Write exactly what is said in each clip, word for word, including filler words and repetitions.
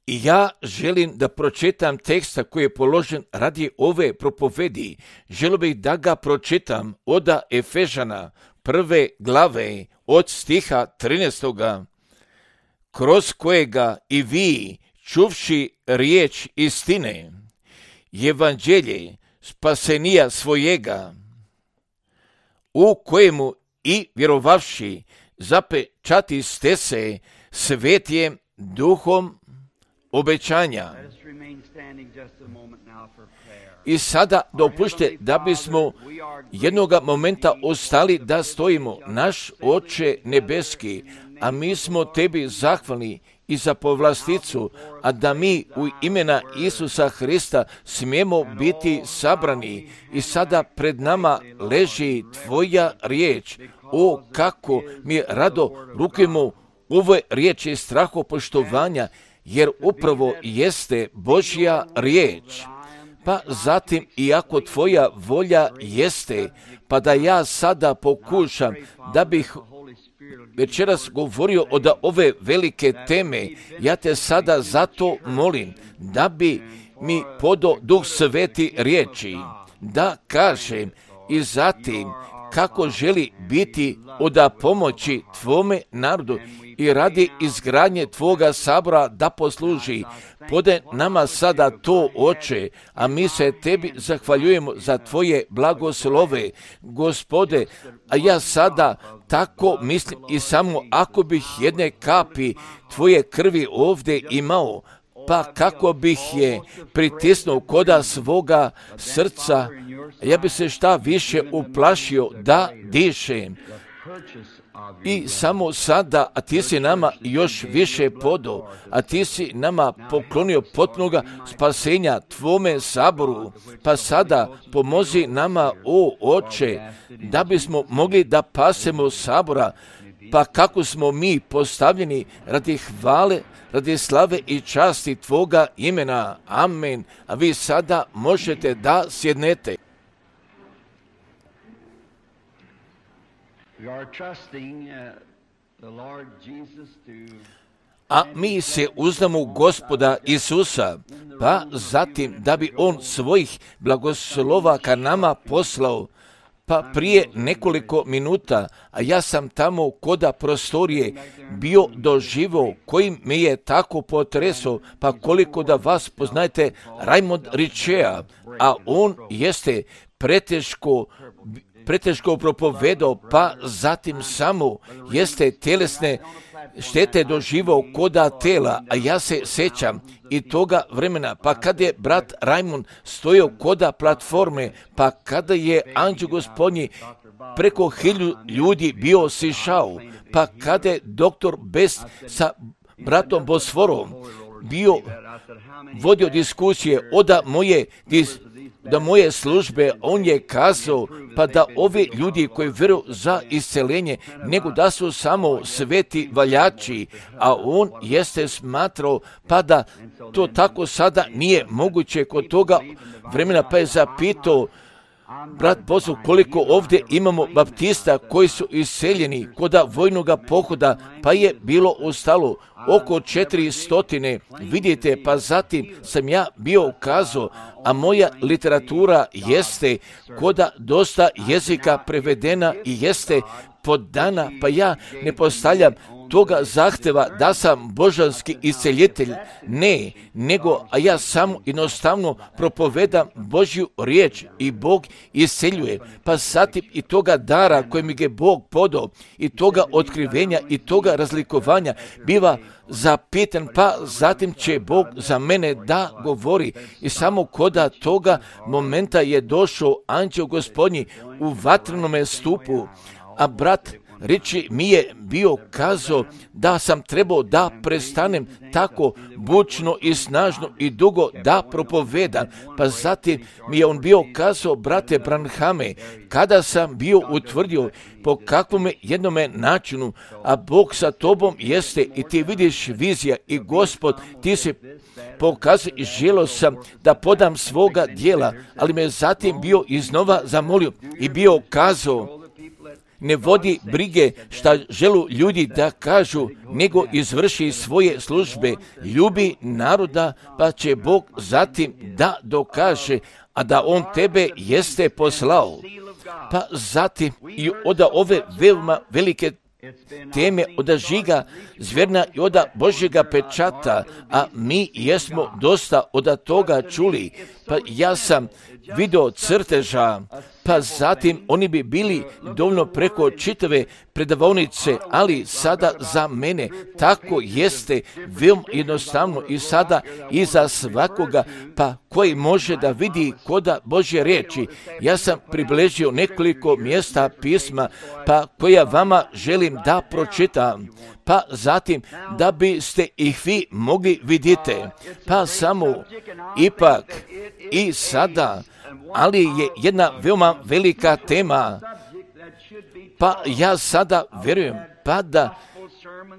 I ja želim da pročitam teksta koji je položen radi ove propovedi. Želio bih da ga pročitam od Efežana prve glave od stiha trinaestoga, kroz kojega i vi, čuvši riječ istine, evanđelje spasenija svojega, u kojemu i vjerovavši zapečati ste se svetijem duhom obećanja. I sada dopušte da bismo jednoga momenta ostali da stojimo. Naš Oče nebeski, a mi smo tebi zahvalni i za povlasticu, a da mi u imena Isusa Hrista smijemo biti sabrani. I sada pred nama leži tvoja riječ. O, kako mi rado rukujemo ove riječi strahopoštovanja, jer upravo jeste Božja riječ. Pa zatim, iako tvoja volja jeste, pa da ja sada pokušam da bih večeras govorio od ove velike teme, ja te sada zato molim da bi mi podao Duh Sveti riječi, da kažem i zatim kako želi biti od pomoći tvome narodu i radi izgradnje tvoga sabora da posluži. Podaj nama sada to, Oče, a mi se tebi zahvaljujemo za tvoje blagoslove, Gospode, a ja sada tako mislim i samo ako bih jedne kapi tvoje krvi ovdje imao, pa kako bih je pritisnuo koda svoga srca, ja bi se šta više uplašio da dišem. I samo sada, a ti si nama još više podao, a ti si nama poklonio potpunoga spasenja tvome saboru, pa sada pomozi nama, o Oče, da bismo mogli da pasemo sabora, pa kako smo mi postavljeni radi hvale, radi slave i časti tvoga imena. Amen. A vi sada možete da sjednete. A mi se uzdamo u Gospoda Isusa, pa zatim da bi On svojih blagoslova ka nama poslao. Pa prije nekoliko minuta, a ja sam tamo koda prostorije bio doživo kojim me je tako potresao, pa koliko da vas poznajete Raymond Richea, a on jeste preteško preteško propovedao, pa zatim samo jeste tjelesne štete doživao koda tela, a ja se sjećam i toga vremena, pa kada je brat Raymond stojao koda platforme, pa kada je anđeo Gospodnji preko hiljadu ljudi bio sišao, pa kada je doktor Best sa bratom Bosforom bio vodio diskusije od moje dis, da moje službe, on je kazao pa da ovi ljudi koji vjeruju za isceljenje, nego da su samo sveti valjači, a on jeste smatrao pa da to tako sada nije moguće kod toga vremena, pa je zapitao brat Bozu koliko ovdje imamo baptista koji su iseljeni koda vojnoga pohoda, pa je ostalo ostalo oko četiri stotine, vidite, pa zatim sam ja bio kazao, a moja literatura jeste koda dosta jezika prevedena i jeste podana, pa ja ne postavljam toga zahteva da sam božanski isceljitelj, ne, nego, a ja samo jednostavno propovedam Božju riječ i Bog isceljuje, pa zatim i toga dara koje mi je Bog podao, i toga otkrivenja, i toga razlikovanja, biva zapitan, pa zatim će Bog za mene da govori. I samo koda toga momenta je došao anđeo Gospodnji u vatrenome stupu, a brat Riči mi je bio kazao da sam trebao da prestanem tako bučno i snažno i dugo da propovedam. Pa zatim mi je on bio kazao, brate Branhame, kada sam bio utvrdio po kakvome jednome načinu, a Bog sa tobom jeste i ti vidiš vizija i Gospod, ti se pokazuje i želio sam da podam svoga dijela, ali me zatim bio iznova zamolio i bio kazao, ne vodi brige šta želu ljudi da kažu, nego izvrši svoje službe, ljubi naroda, pa će Bog zatim da dokaže, a da On tebe jeste poslao. Pa zatim i od ove veoma velike teme od žiga zvjerna i od Božjega pečata, a mi jesmo dosta od toga čuli. Pa ja sam video crteža, pa zatim oni bi bili dovoljno preko čitave predavaonice, ali sada za mene tako jeste veoma jednostavno i sada i za svakoga, pa koji može da vidi koda Božje riječi. Ja sam približio nekoliko mjesta pisma, pa koja vama želim da pročitam, pa zatim da biste ih vi mogli vidite, pa samo ipak i sada, ali je jedna veoma velika tema, pa ja sada vjerujem pa da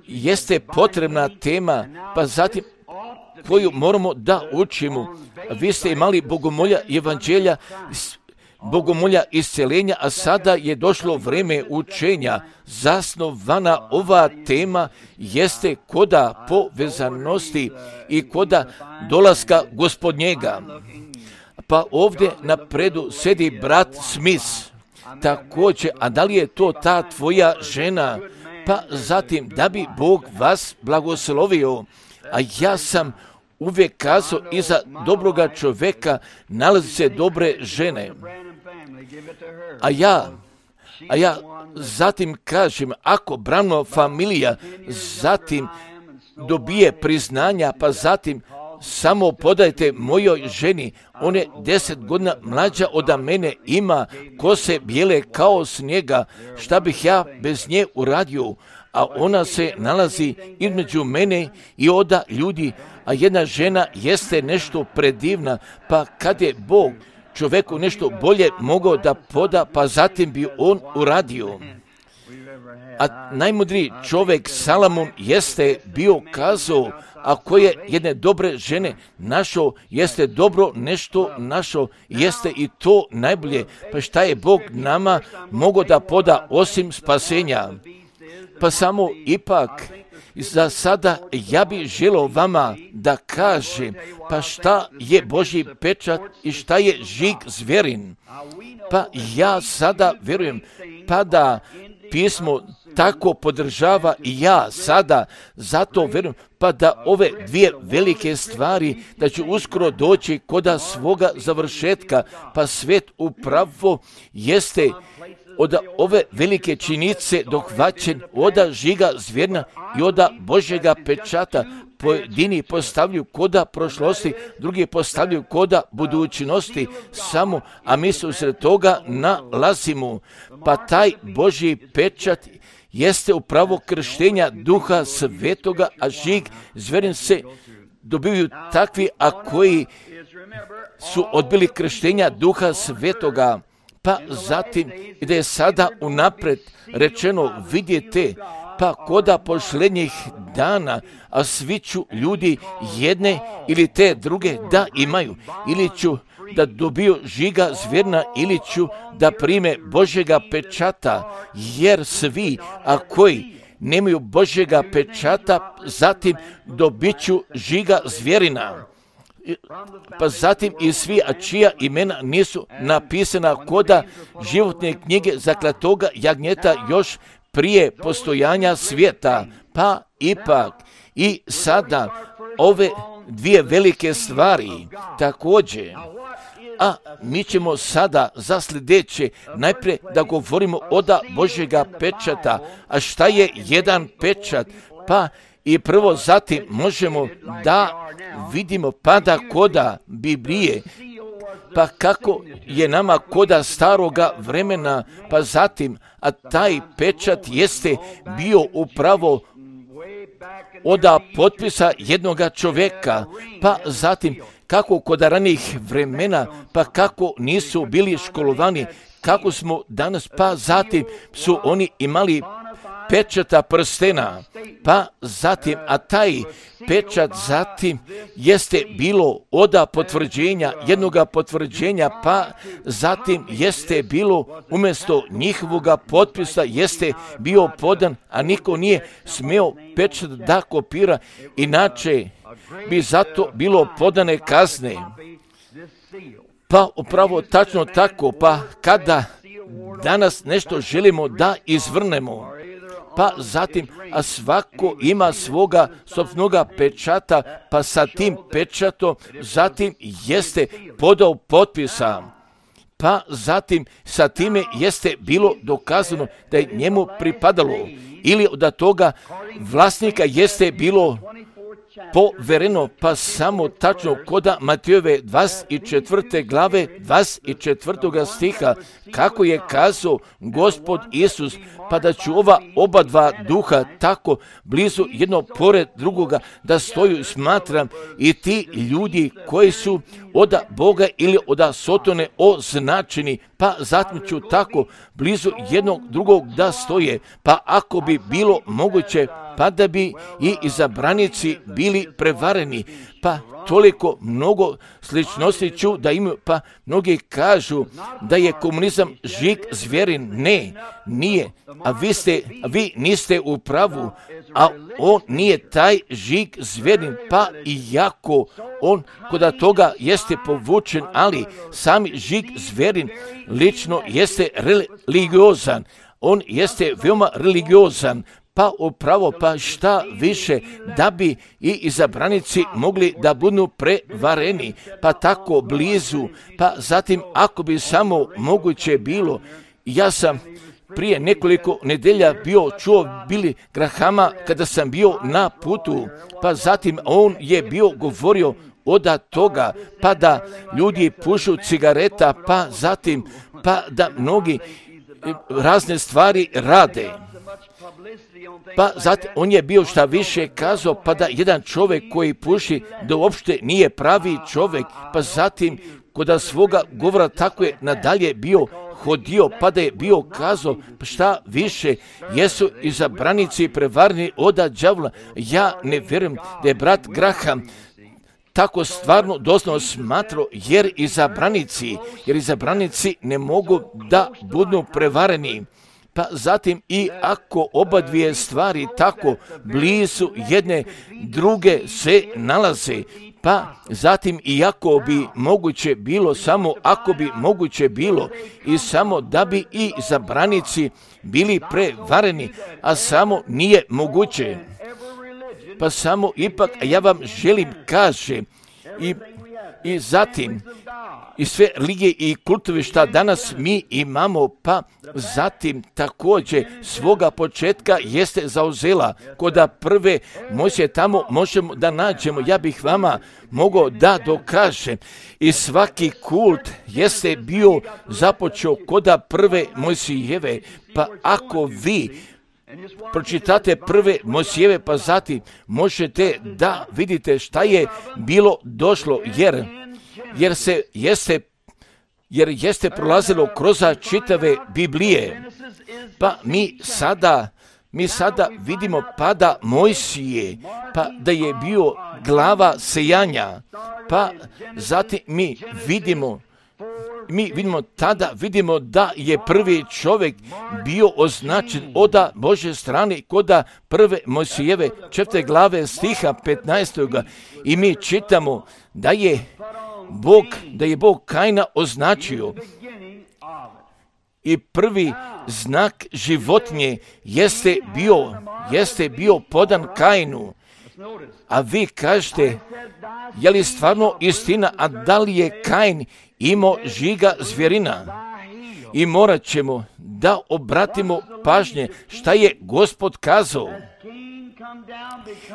jeste potrebna tema, pa zatim koju moramo da učimo. Vi ste imali bogomolja evanđelja, bogomolja isceljenja, a sada je došlo vrijeme učenja. Zasnovana ova tema jeste koda povezanosti i koda dolaska Gospodnjega. Pa ovdje na predu sedi brat Smith, također, a da li je to ta tvoja žena? Pa zatim, da bi Bog vas blagoslovio, a ja sam uvijek kazao, iza dobroga čovjeka nalazi se dobre žene. A ja, a ja zatim kažem, ako Branham familija zatim dobije priznanja, pa zatim samo podajte mojoj ženi, on je deset godina mlađa od mene, ima kose bijele kao snijega, šta bih ja bez nje uradio, a ona se nalazi između mene i oda ljudi, a jedna žena jeste nešto predivna, pa kad je Bog čovjeku nešto bolje mogao da poda, pa zatim bi on uradio. A najmudriji čovjek Salomon jeste bio kazao, ako je jedne dobre žene našao, jeste dobro nešto našao, jeste i to najbolje. Pa šta je Bog nama mogao da poda osim spasenja? Pa samo ipak, za sada ja bih želio vama da kažem, pa šta je Božji pečat i šta je žig zvjerin? Pa ja sada vjerujem, pa da pismo tako podržava i ja sada zato vjerujem, pa da ove dvije velike stvari, da će uskoro doći koda svoga završetka, pa svet upravo jeste od ove velike činjenice dohvaćen od žiga zvjerna i od Božjega pečata. Pojedini postavljaju koda prošlosti, drugi postavljaju koda budućnosti samo, a mi se usred toga nalazimo. Pa taj Božji pečat jeste upravo krštenja Duha Svetoga, a žig zvjerin se dobivaju takvi, a koji su odbili krštenja Duha Svetoga. Pa zatim, da je sada unapred rečeno, vidjeti, pa koda posljednjih dana, a svi ću ljudi jedne ili te druge da imaju, ili ću da dobiju žiga zvjerna, ili ću da prime Božjega pečata, jer svi, a koji nemaju Božjega pečata, zatim dobit ću žiga zvjerina. Pa zatim i svi, a čija imena nisu napisana koda životne knjige zaklatoga jagnjeta još prije postojanja svijeta. Pa ipak i sada ove dvije velike stvari također. A mi ćemo sada za sljedeće najprije da govorimo od Božjega pečata. A šta je jedan pečat? Pa i prvo zatim možemo da vidimo pada koda Biblije, pa kako je nama koda staroga vremena, pa zatim, a taj pečat jeste bio upravo od potpisa jednoga čovjeka, pa zatim kako kod ranih vremena, pa kako nisu bili školovani, kako smo danas, pa zatim su oni imali pečata prstena, pa zatim, a taj pečat zatim jeste bilo oda potvrđenja, jednoga potvrđenja, pa zatim jeste bilo umjesto njihovoga potpisa jeste bio podan, a niko nije smeo pečat da kopira, inače bi zato bilo podane kazne. Pa upravo tačno tako, pa kada danas nešto želimo da izvrnemo, pa zatim, a svako ima svoga sopstvenoga pečata, pa sa tim pečatom zatim jeste podao potpisa, pa zatim sa time jeste bilo dokazano da je njemu pripadalo, ili da toga vlasnika jeste bilo povereno, pa samo tačno koda Matejove dvadeset četvrte glave dvadeset četvrtog stiha, kako je kazao Gospod Isus, pa da ću ova oba dva duha tako blizu jedno pored drugoga da stoju, smatram i ti ljudi koji su od Boga ili od Sotone označeni, pa zatim ću tako blizu jednog drugog da stoje, pa ako bi bilo moguće, pa da bi i izabranici bili prevareni, pa toliko mnogo sličnosti ću da imaju, pa mnogi kažu da je komunizam žig zvjerin. Ne, nije, a vi, ste, a vi niste u pravu, a on nije taj žig zvjerin, pa iako on kod toga jeste povučen, ali sami žig zvjerin lično jeste religiozan, on jeste veoma religiozan, pa upravo, pa šta više, da bi i izabranici mogli da budu prevareni, pa tako blizu, pa zatim ako bi samo moguće bilo. Ja sam prije nekoliko nedelja bio čuo Billy Grahama kada sam bio na putu, pa zatim on je bio govorio od toga, pa da ljudi pušu cigareta, pa zatim, pa da mnogi razne stvari rade. Pa zatim on je bio šta više kazao, pa da jedan čovjek koji puši da uopšte nije pravi čovjek, pa zatim kod svoga govora tako je nadalje bio hodio, pa da je bio kazao šta više, jesu izabranici prevarni od đavola. Ja ne vjerujem da je brat Graham tako stvarno doslovno smatrao, jer izabranici, jer izabranici ne mogu da budu prevareni. Pa zatim i ako oba dvije stvari tako blizu jedne druge se nalaze, pa zatim i ako bi moguće bilo, samo ako bi moguće bilo i samo da bi i izabranici bili prevareni, a samo nije moguće. Pa samo ipak ja vam želim kaže i, i zatim i sve religije i kultove šta danas mi imamo, pa zatim također svoga početka jeste zauzela. Koda prve Mojsije tamo možemo da nađemo, ja bih vama mogao da dokažem. I svaki kult jeste bio započeo koda prve Mojsijeve, pa ako vi pročitate prve Mojsijeve, pa zatim možete da vidite šta je bilo došlo, jer jer se jeste jer jeste prolazilo kroz čitave Biblije. Pa mi sada mi sada vidimo pada Mojsije, pa da je bio glava sejanja, pa zatim mi vidimo mi vidimo tada vidimo da je prvi čovjek bio označen od Božje strane koda prve Mojsijeve četvrte glave stiha petnaestog i mi čitamo da je Bog, da je Bog Kaina označio i prvi znak životinje jeste bio, jeste bio podan Kainu. A vi kažete, je li stvarno istina, a da li je Kain imao žiga zvjerina? I morat ćemo da obratimo pažnje šta je Gospod kazao.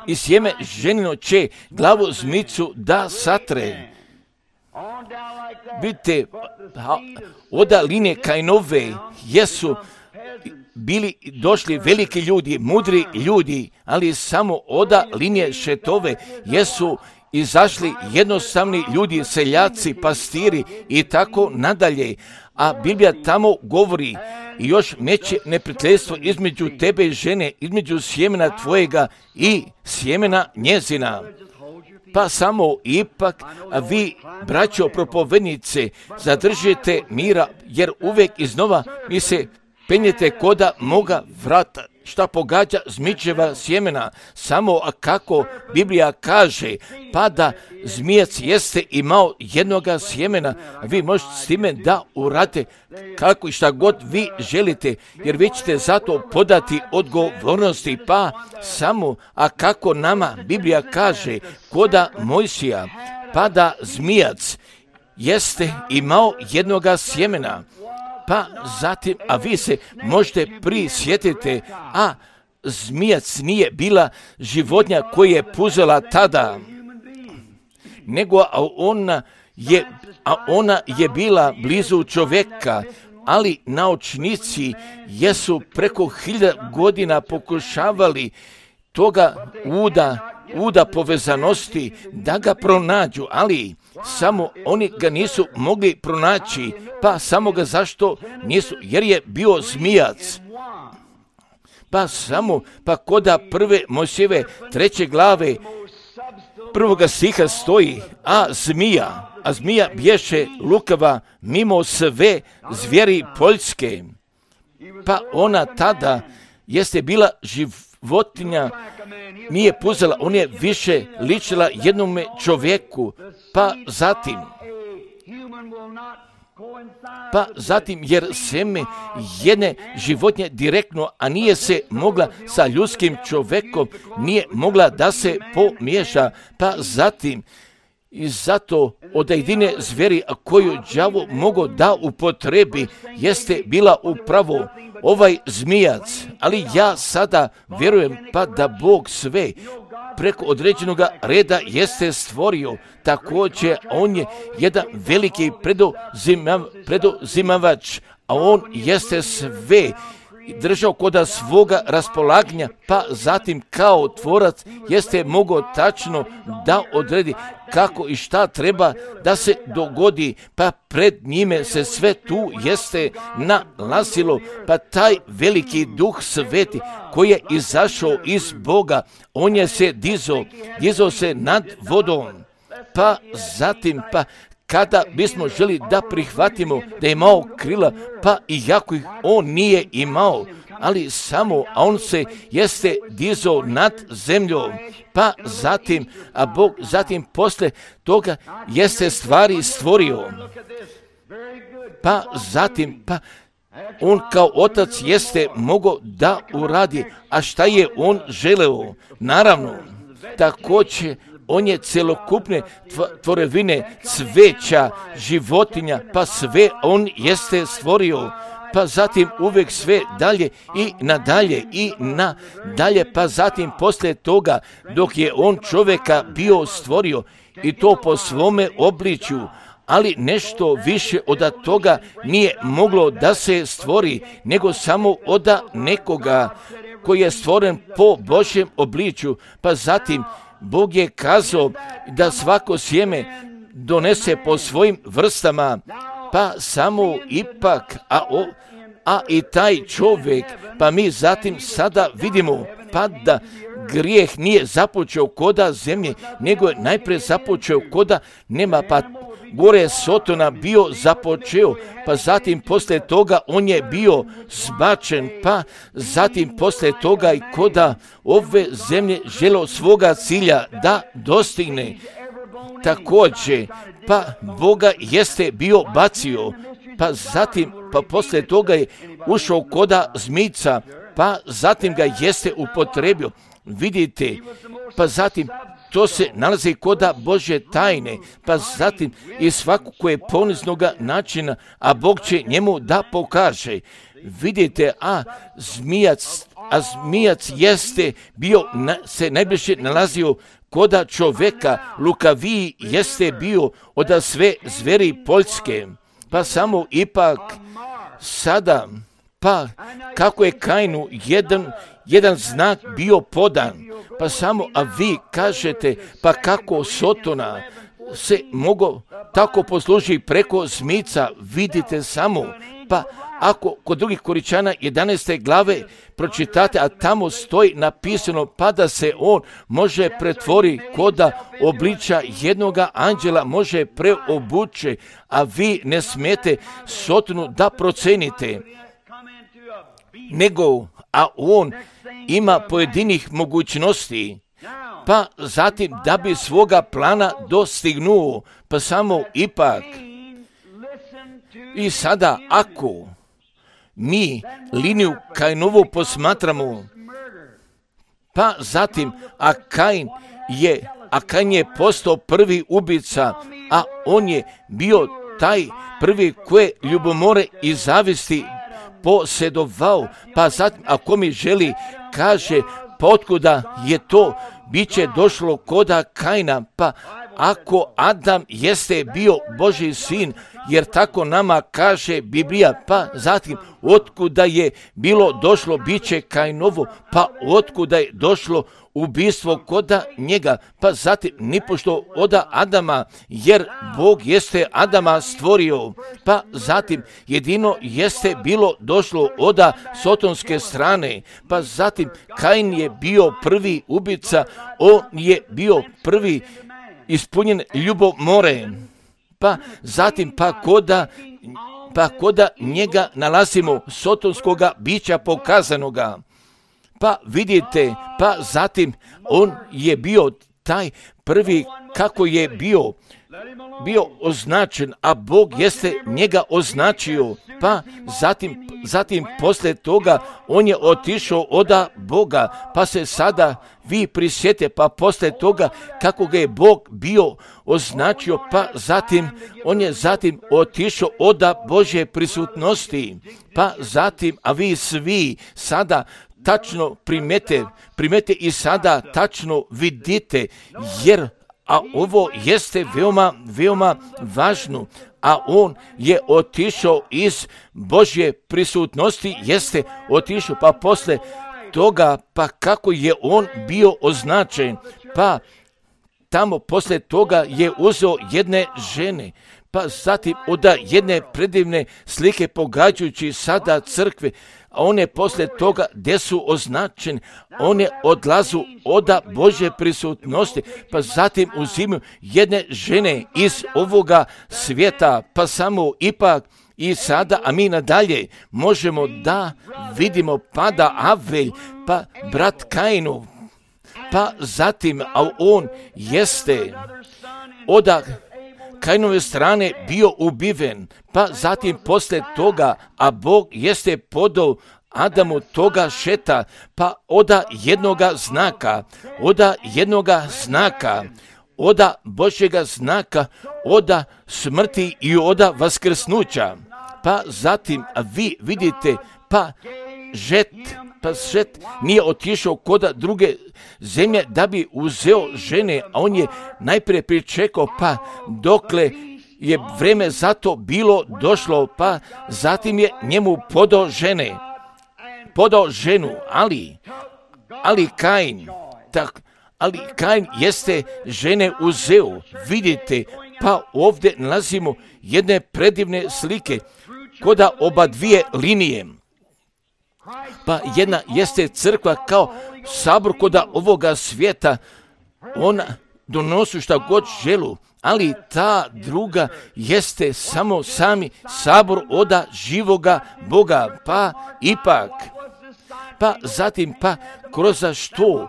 I sjeme ženino će glavu zmicu da satre. Vidite, od linije Kainove jesu bili došli veliki ljudi, mudri ljudi, ali samo od linije Šetove jesu izašli jednostavni ljudi, seljaci, pastiri i tako nadalje. A Biblija tamo govori i još meće neprijateljstvo između tebe i žene, između sjemena tvojega i sjemena njezina. Pa samo ipak, a vi, braćo propovednice, zadržite mira, jer uvijek iznova mi se penjete koda moga vrata, šta pogađa zmičeva sjemena, samo a kako Biblija kaže, pa da zmijac jeste imao jednoga sjemena, a vi možete s time da urate kako i šta god vi želite, jer vi ćete zato podati odgovornosti, pa samo a kako nama Biblija kaže, koda Mojsija, pa da zmijac jeste imao jednoga sjemena. Pa zatim, a vi se možete prisjetiti, a zmijac nije bila životinja koja je puzela tada, nego a ona je, a ona je bila blizu čovjeka, ali naučnici jesu preko hiljada godina pokušavali toga uda, uda povezanosti da ga pronađu, ali samo oni ga nisu mogli pronaći, pa samo ga zašto nisu, jer je bio zmijac. Pa samo, pa koda prve Mojsijeve treće glave prvoga stiha stoji, a zmija, a zmija bješe lukava mimo sve zvijeri poljske. Pa ona tada jeste bila životinja, nije puzela, on je više ličila jednome čovjeku, pa zatim, pa zatim jer seme jedne životinje direktno, a nije se mogla sa ljudskim čovjekom, nije mogla da se pomiješa, pa zatim i zato od jedine zveri koju đavo mogao da upotrebi jeste bila upravo ovaj zmijac, ali ja sada vjerujem pa da Bog sve preko određenog reda jeste stvorio, također on je jedan veliki predozimav, predozimavač, a on jeste sve držao koda svoga raspolaganja, pa zatim kao tvorac jeste mogao tačno da odredi kako i šta treba da se dogodi, pa pred njime se sve tu jeste nalazilo, pa taj veliki duh sveti koji je izašao iz Boga, on je se dizao, dizao se nad vodom, pa zatim, pa kada bismo želi da prihvatimo da je imao krila, pa iako ih on nije imao, ali samo, a on se jeste dizao nad zemljom, pa zatim, a Bog zatim posle toga jeste stvari stvorio, pa zatim, pa on kao otac jeste mogao da uradi, a šta je on želeo? Naravno, također, on je celokupne tvorevine, cveća, životinja, pa sve on jeste stvorio, pa zatim uvijek sve dalje i nadalje i nadalje, pa zatim poslije toga dok je on čovjeka bio stvorio i to po svome obličju, ali nešto više od toga nije moglo da se stvori, nego samo od nekoga koji je stvoren po Božjem obličju, pa zatim Bog je kazao da svako sjeme donese po svojim vrstama, pa samo ipak, a, o, a i taj čovjek, pa mi zatim sada vidimo, pa da grijeh nije započeo koda zemlje, nego je najprije započeo koda nema, pa gore Sotona bio započeo, pa zatim poslije toga on je bio zbačen, pa zatim poslije toga i koda ove zemlje želeo svoga cilja da dostigne. Također, pa Boga jeste bio bacio, pa zatim, pa poslije toga je ušao koda zmijca, pa zatim ga jeste upotrebio. Vidite, pa zatim to se nalazi koda Božje tajne, pa zatim i svako koje je poniznoga načina, a Bog će njemu da pokaže. Vidite, a zmijac, a zmijac jeste bio, na, se najbliže nalazio koda čovjeka, lukaviji jeste bio od sve zveri poljske, pa samo ipak sada, pa kako je Kainu jedan, jedan znak bio podan, pa samo, a vi kažete, pa kako Sotona se mogo tako posluži preko zmijca, vidite samo, pa ako kod drugih Koričana jedanaeste glave pročitate, a tamo stoji napisano, pa da se on može pretvori koda obliča jednoga anđela, može preobuče, a vi ne smijete Sotonu da procenite, nego, a on ima pojedinih mogućnosti, pa zatim da bi svoga plana dostignuo, pa samo ipak. I sada ako mi liniju Kainovu posmatramo, pa zatim, a Kain je, a Kain je postao prvi ubica, a on je bio taj prvi koje ljubomore i zavisti posjedovao, pa zatim, ako mi želi, kaže, pa otkuda je to, bit će došlo koda Kaina, pa ako Adam jeste bio Božji sin, jer tako nama kaže Biblija, pa zatim otkuda je bilo došlo bit će Kainovo, pa otkuda je došlo ubistvo koda njega, pa zatim nipošto oda Adama, jer Bog jeste Adama stvorio, pa zatim jedino jeste bilo došlo oda sotonske strane, pa zatim Kain je bio prvi ubica, on je bio prvi ispunjen ljubomore, pa zatim pa koda, pa koda njega nalazimo sotonskoga bića pokazanoga. Pa vidite, pa zatim on je bio taj prvi kako je bio, bio označen, a Bog jeste njega označio, pa zatim, zatim poslije toga on je otišao oda Boga, pa se sada vi prisjete, pa poslije toga kako ga je Bog bio označio, pa zatim on je zatim otišao oda Božje prisutnosti, pa zatim, a vi svi sada tačno primete, primete i sada tačno vidite, jer a ovo jeste veoma, veoma važno, a on je otišao iz Božje prisutnosti, jeste otišao, pa posle toga, pa kako je on bio označen, pa tamo posle toga je uzeo jedne žene, pa zatim od jedne predivne slike pogađajući sada crkve, a one posle toga gdje su označeni, one odlazu oda Božje prisutnosti, pa zatim uzimaju jedne žene iz ovoga svijeta, pa samo ipak i sada, a mi nadalje možemo da vidimo pada Avelj, pa brat Kainov, pa zatim, a on jeste oda Kainove strane bio ubiven, pa zatim posle toga, a Bog jeste podao Adamu toga šeta, pa oda jednoga znaka, oda jednoga znaka, oda Božjega znaka, oda smrti i oda vaskrsnuća, pa zatim, a vi vidite, pa žet, pa žet nije otišao koda druge zemlje da bi uzeo žene, a on je najprije pričekao, pa dokle je vreme za to bilo došlo, pa zatim je njemu podao žene, podao ženu, ali, ali Kain, tak, ali Kain jeste žene uzeo, vidite, pa ovdje nalazimo jedne predivne slike, koda oba dvije linije. Pa jedna jeste crkva kao sabor koda ovoga svijeta, ona donosi šta god želu, ali ta druga jeste samo sami sabor oda živoga Boga, pa ipak, pa zatim pa kroz što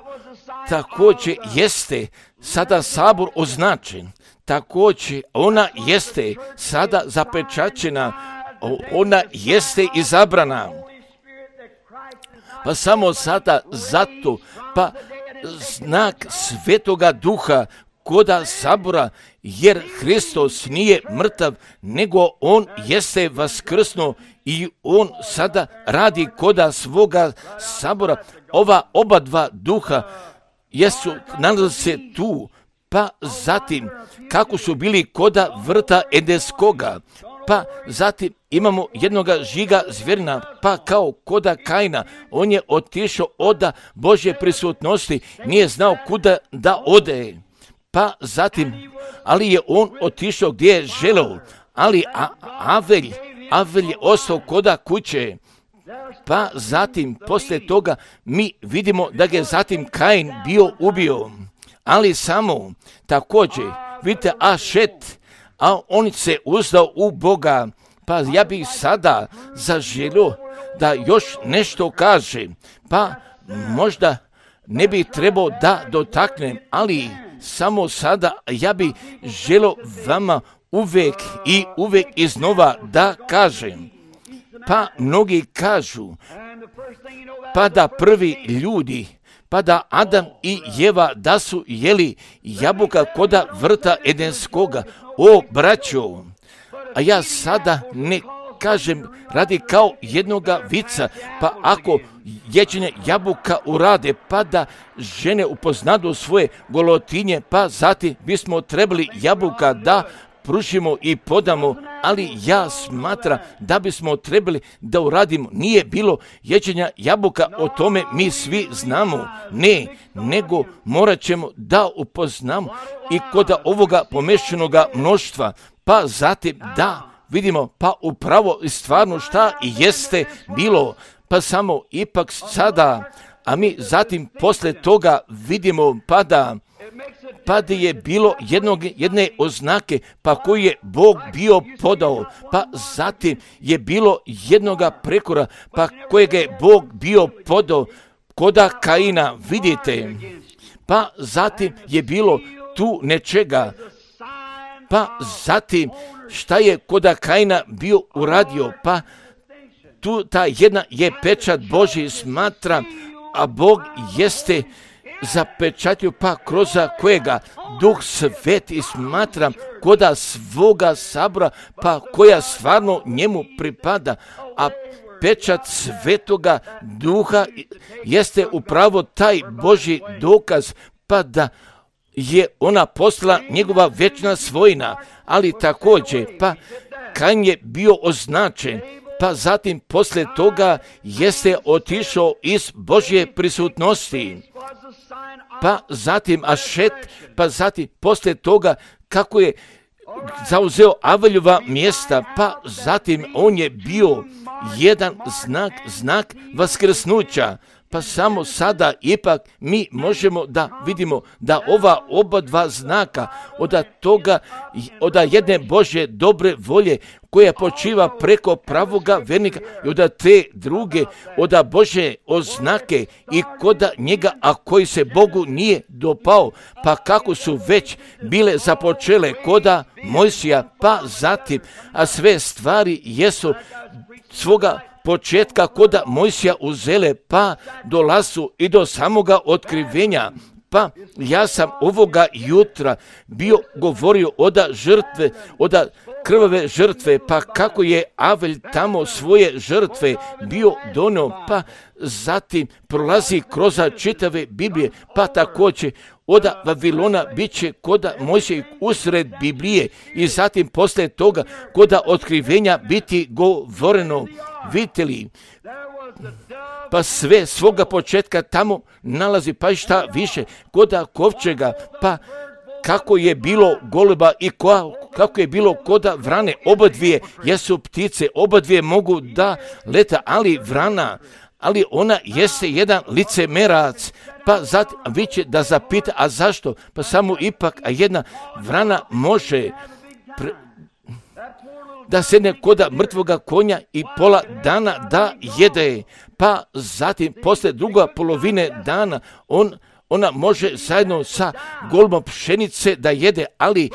također jeste sada sabor označen, također ona jeste sada zapečaćena, ona jeste izabrana. Pa samo sada zato, pa znak Svetoga Duha koda sabora, jer Hristos nije mrtav, nego on jeste vaskrsnuo i on sada radi koda svoga sabora. Ova oba dva duha jesu, nalaze se tu, pa zatim kako su bili koda vrta Edenskoga, pa zatim imamo jednoga žiga zvjerina, pa kao koda Kaina, on je otišao oda Božje prisutnosti, nije znao kuda da ode, pa zatim, ali je on otišao gdje je želeo, ali A- Avelj, Avel je ostao koda kuće. Pa zatim, poslije toga, mi vidimo da ga je zatim Kain bio ubio. Ali samo, također, vidite, Ašet, a on se uzdao u Boga. Pa ja bih sada zaželio da još nešto kaže. Pa možda ne bi trebao da dotaknem, ali samo sada ja bih želio vama uvijek i uvijek iznova da kažem. Pa mnogi kažu, pa da prvi ljudi, pa da Adam i Jeva da su jeli jabuka koda vrta Edenskoga. O, braćo, a ja sada ne kažem radi kao jednoga vica, pa ako ječenje jabuka urade, pa da žene upoznadu svoje golotinje, pa zatim bismo trebali jabuka da pružimo i podamo, ali ja smatram da bismo trebali da uradimo. Nije bilo ječenja jabuka, o tome mi svi znamo. Ne, nego morat ćemo da upoznamo i kod ovoga pomešanoga mnoštva, pa zatim da vidimo, pa upravo i stvarno šta jeste bilo, pa samo ipak sada, a mi zatim posle toga vidimo pa da pa da je bilo jednog, jedne oznake, pa koju je Bog bio podao, pa zatim je bilo jednoga prekora, pa kojega je Bog bio podao koda Kaina, vidite, pa zatim je bilo tu nečega, pa zatim šta je koda Kaina bio uradio, pa tu ta jedna je pečat Božji smatra, a Bog jeste zapečatio pa kroz kojega Duh Sveti smatra koda svoga sabora, pa koja stvarno njemu pripada, a pečat Svetoga Duha jeste upravo taj Božji dokaz, pa da je ona postala njegova večna svojina, ali također, pa Kain je bio označen, pa zatim poslije toga jeste otišao iz Božje prisutnosti, pa zatim Ašet, pa zatim poslije toga kako je zauzeo Aveljova mjesta, pa zatim on je bio jedan znak, znak vaskrsnuća. Pa samo sada ipak mi možemo da vidimo da ova oba dva znaka od toga, od jedne Božje dobre volje koja počiva preko pravoga vernika i od te druge, od Božje oznake i koda njega, a koji se Bogu nije dopao, pa kako su već bile započele koda Mojsija, pa zatim, a sve stvari jesu svoga početka koda Mojsija uzele, pa dolazu i do samoga otkrivenja. Pa ja sam ovoga jutra bio govorio oda žrtve, oda krvave žrtve, pa kako je Avelj tamo svoje žrtve bio donio, pa zatim prolazi kroz čitave Biblije, pa također oda Vavilona bit će koda Mojsija usred Biblije i zatim poslije toga koda otkrivenja biti govoreno. Vidite li, pa sve svoga početka tamo nalazi, pa i šta više, koda kovčega, pa kako je bilo goluba i ko, kako je bilo koda vrane, oba dvije jesu ptice, oba dvije mogu da leta, ali vrana, ali ona jeste jedan licemerac, pa zatim vi će da zapita, a zašto? Pa samo ipak, a jedna vrana može pre, da sedne koda mrtvoga konja i pola dana da jede, pa zatim posle druga polovine dana on, ona može zajedno sa golubom pšenice da jede, ali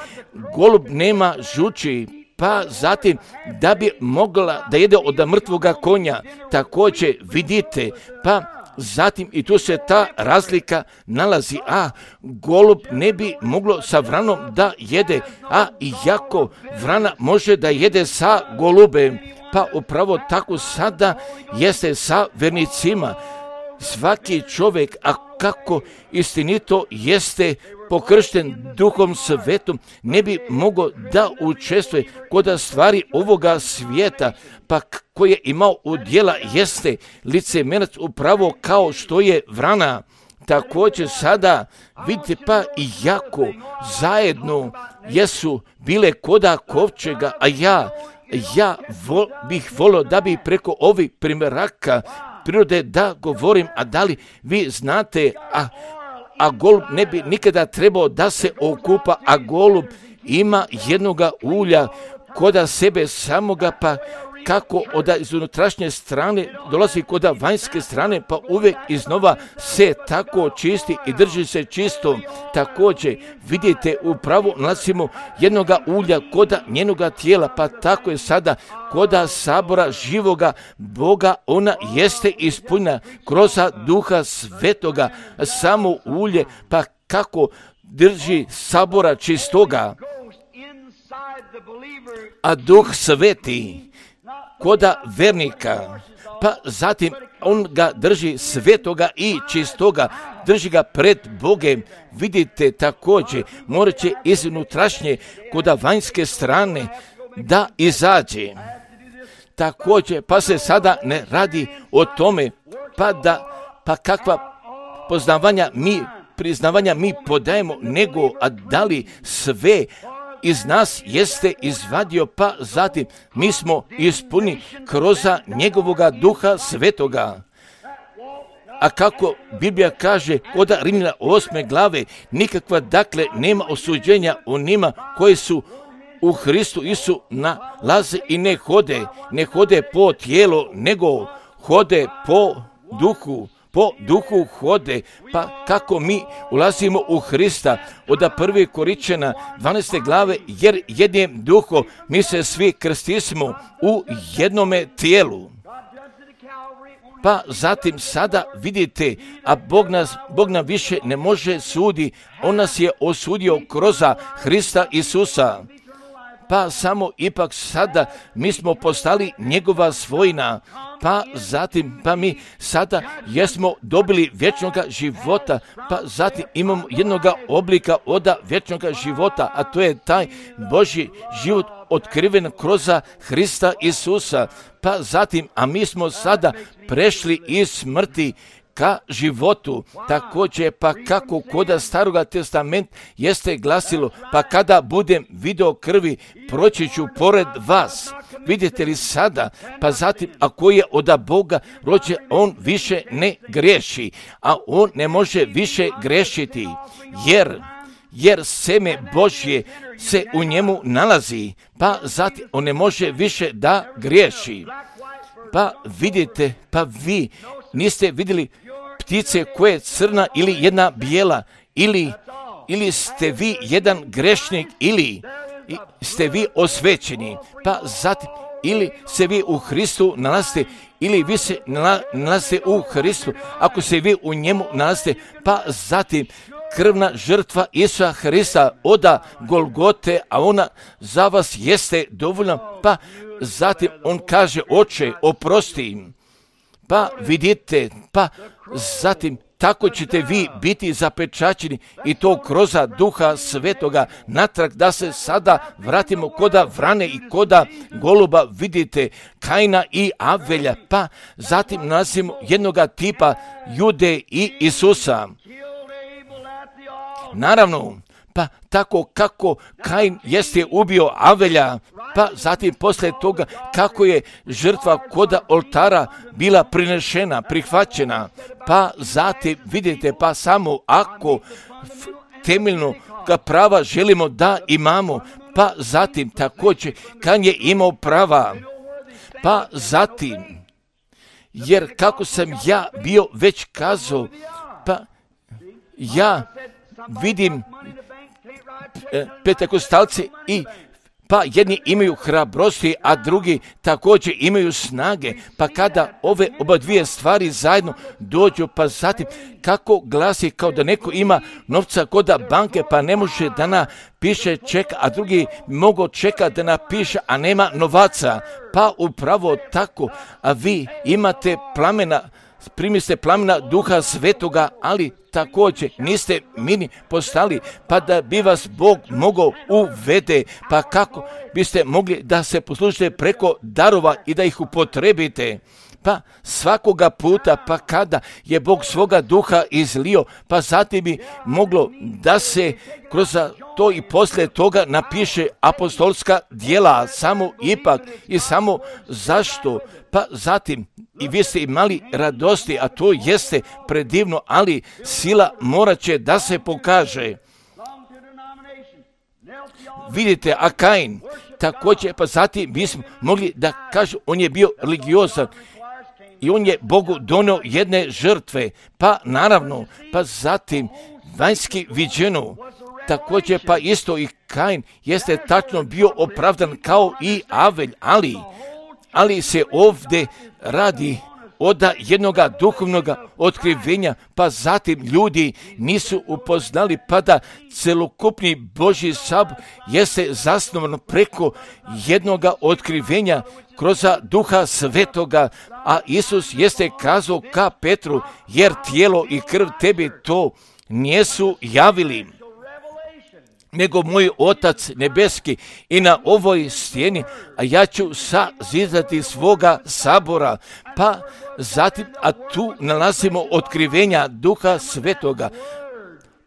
golub nema žuči, pa zatim da bi mogla da jede od mrtvoga konja, također vidite, pa zatim i tu se ta razlika nalazi, a golub ne bi moglo sa vranom da jede, a iako vrana može da jede sa golubem, pa upravo tako sada jeste sa vernicima. Svaki čovjek, a kako istinito jeste pokršten Duhom Svetom, ne bi mogao da učestvuje kod stvari ovoga svijeta, pa koje je imao udjela jeste licemerac upravo kao što je vrana. Također sada vidite, pa i jako zajedno jesu bile koda kovčega, a ja ja vo, bih volio da bi preko ovih primjeraka prirode da govorim, a da li vi znate, a, a golub ne bi nikada trebao da se okupa, a golub ima jednoga ulja koda sebe samoga, pa kako od iz unutrašnje strane dolazi kod vanjske strane, pa uvijek iznova se tako čisti i drži se čisto. Također vidite, upravo nalazimo jednoga ulja koda njenoga tijela, pa tako je sada koda sabora živoga Boga, ona jeste ispunjena kroz Duha Svetoga, samo ulje, pa kako drži sabora čistoga. A Duh Sveti koda vernika, pa zatim on ga drži svetoga i čistoga, drži ga pred Bogem. Vidite, također morat će iz unutrašnje koda vanjske strane da izađe. Također, pa se sada ne radi o tome, pa da, pa kakva poznavanja mi, priznavanja mi podajemo, nego, a da li sve iz nas jeste izvadio, pa zatim mi smo ispuni kroz njegovoga Duha Svetoga. A kako Biblija kaže kod Rimljana osme glave, nikakva dakle nema osuđenja onima koji su u Hristu Isu nalaze i ne hode, ne hode po tijelu, nego hode po duhu. Po duhu hode, pa kako mi ulazimo u Hrista, od prve Korinćana dvanaeste glave, jer jednim duhom mi se svi krstismo u jednome tijelu. Pa zatim sada vidite, a Bog nas, Bog nam više ne može sudi, on nas je osudio kroz Hrista Isusa. Pa samo ipak sada mi smo postali njegova svojina, pa zatim pa mi sada jesmo dobili vječnoga života, pa zatim imamo jednoga oblika od vječnoga života, a to je taj Božji život otkriven kroz Hrista Isusa. Pa zatim, a mi smo sada prešli iz smrti ka životu. Također, pa kako koda Staroga testamenta jeste glasilo, pa kada budem video krvi, proći ću pored vas. Vidite li sada, pa zatim, ako je od Boga rođen, on više ne griješi, a on ne može više grešiti, jer jer seme Božje se u njemu nalazi, pa zatim on ne može više da griješi. Pa vidite, pa vi niste vidjeli ptice koja je crna ili jedna bijela, ili, ili ste vi jedan grešnik, ili ste vi osvećeni, pa zatim ili se vi u Hristu nalazite, ili vi se nalazite u Hristu, ako se vi u njemu nalazite, pa zatim krvna žrtva Isusa Hrista oda Golgote, a ona za vas jeste dovoljna, pa zatim on kaže, Oče, oprosti im. Pa vidite, pa zatim tako ćete vi biti zapečaćeni i to kroz Duha Svetoga natrag, da se sada vratimo koda vrane i koda goluba, vidite Kaina i Avelja, pa zatim nalazimo jednoga tipa Jude i Isusa. Naravno, pa tako kako Kain jeste ubio Avelja, pa zatim poslije toga kako je žrtva koda oltara bila prinešena, prihvaćena, pa zatim vidite, pa samo ako temeljno prava želimo da imamo, pa zatim također Kain je imao prava, pa zatim, jer kako sam ja bio već kazao, pa ja vidim Pentekostalci i pa jedni imaju hrabrosti, a drugi također imaju snage, pa kada ove oba dvije stvari zajedno dođu, pa zatim kako glasi kao da neko ima novca kod banke, pa ne može da napiše ček, a drugi mogu čekati da napiše, a nema novaca, pa upravo tako, a vi imate plamena, primiste plamena Duha Svetoga, ali također niste mini postali, pa da bi vas Bog mogao uvede, pa kako biste mogli da se poslužite preko darova i da ih upotrebite. pa svakoga puta, pa kada je Bog svoga duha izlio, pa zatim bi moglo da se kroz to i poslije toga napiše apostolska djela, samo ipak i samo zašto, pa zatim i vi ste imali radosti, a to jeste predivno, ali sila morat će da se pokaže. Vidite, a Kain također, pa zatim bismo mogli da kažu, on je bio religiozan i on je Bogu donio jedne žrtve, pa naravno, pa zatim vanjski viđeno, također pa isto i Kain jeste tačno bio opravdan kao i Avelj, ali, ali se ovdje radi od jednoga duhovnoga otkrivenja, pa zatim ljudi nisu upoznali, pa da celokupni Božji sabor jeste zasnovan preko jednoga otkrivenja kroz duha svetoga, a Isus jeste kazao ka Petru, jer tijelo i krv tebi to nisu javili, nego moj Otac nebeski. I na ovoj stijeni, a ja ću sazidati svoga sabora, pa zatim, a tu nalazimo otkrivenja duha svetoga.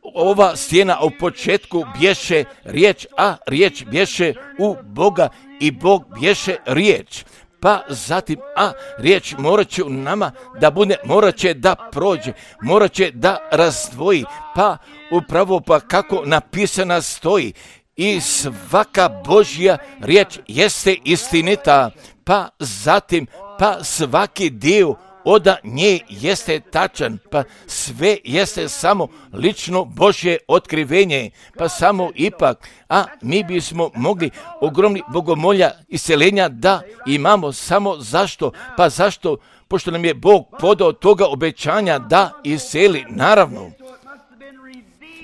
Ova stijena u početku bješe riječ, a riječ bješe u Boga i Bog bješe riječ. Pa zatim, a riječ morat će u nama da bude, morat će da prođe, morat će da razdvoji, pa upravo pa kako napisana stoji, i svaka Božja riječ jeste istinita, pa zatim, pa svaki dio od nje jeste tačan, pa sve jeste samo lično Božje otkrivenje, pa samo ipak, a mi bismo mogli ogromni bogomolja iseljenja da imamo, samo zašto, pa zašto, pošto nam je Bog podao toga obećanja da iseli, naravno,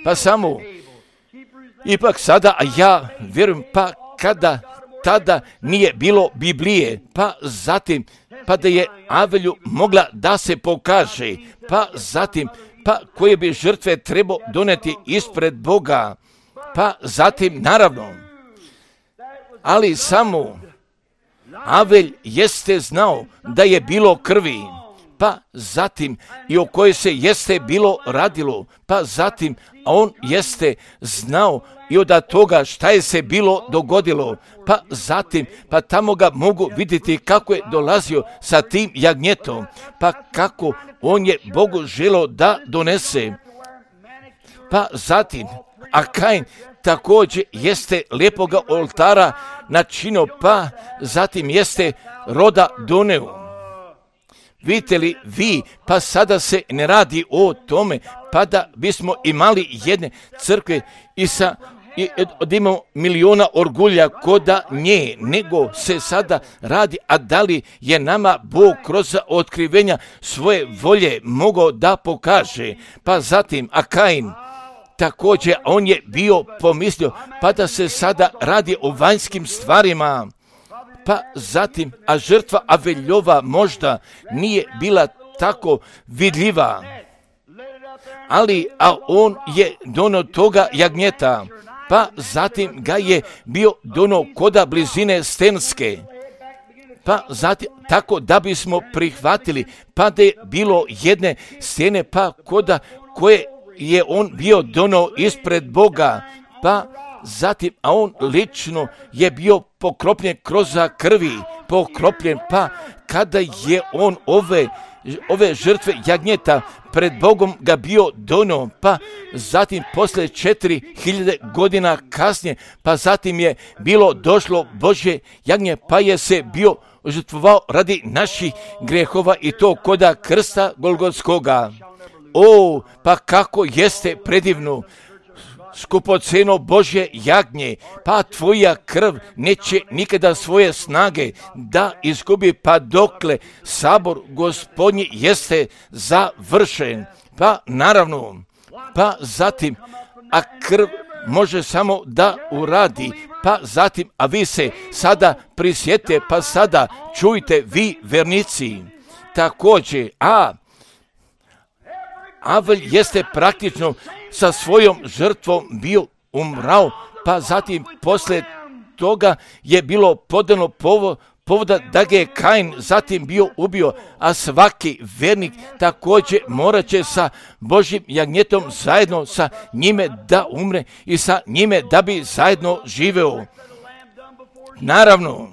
pa samo, ipak sada, a ja vjerujem, pa kada tada nije bilo Biblije, pa zatim, pa da je Avelju mogla da se pokaže, pa zatim, pa koje bi žrtve trebao doneti ispred Boga, pa zatim, naravno, ali samo Avelj jeste znao da je bilo krvi, pa zatim i o kojoj se jeste bilo radilo, pa zatim, a on jeste znao i od toga šta je se bilo dogodilo, pa zatim, pa tamo ga mogu vidjeti kako je dolazio sa tim jagnjetom, pa kako on je Bogu želio da donese, pa zatim, a Kain također jeste lijepoga oltara načinio, pa zatim jeste roda doneo. Vidite li vi, pa sada se ne radi o tome, pa da bismo imali jedne crkve i sa i od imamo miliona orgulja koda nje, nego se sada radi, a da li je nama Bog kroz otkrivenja svoje volje mogao da pokaže, pa zatim, a Kain također, on je bio pomislio, pa da se sada radi o vanjskim stvarima, pa zatim, a žrtva Aveljova možda nije bila tako vidljiva, ali, a on je donio toga jagnjeta, pa zatim ga je bio donio koda blizine Stenske, pa zatim, tako da bismo prihvatili, pa da je bilo jedne stene, pa koda koje je on bio donio ispred Boga, pa zatim, a on lično je bio pokropljen kroz krvi, pokropljen, pa kada je on ove, ove žrtve jagnjeta pred Bogom ga bio donio, pa zatim poslije četiri hiljade godina kasnije, pa zatim je bilo došlo Božje jagnje, pa je se bio žrtvovao radi naših grehova i to koda krsta Golgotskoga. O, pa kako jeste predivno, skupoceno Božje jagnje, pa tvoja krv neće nikada svoje snage da izgubi, pa dokle sabor Gospodnji jeste završen, pa naravno, pa zatim, a krv može samo da uradi, pa zatim, a vi se sada prisjete, pa sada čujte vi vernici, također, a Avelj jeste praktično sa svojom žrtvom bio umrao, pa zatim poslije toga je bilo podano povo, povoda da ga je Kain zatim bio ubio, a svaki vernik također morat će sa Božjim jagnjetom zajedno sa njime da umre i sa njime da bi zajedno živeo. Naravno,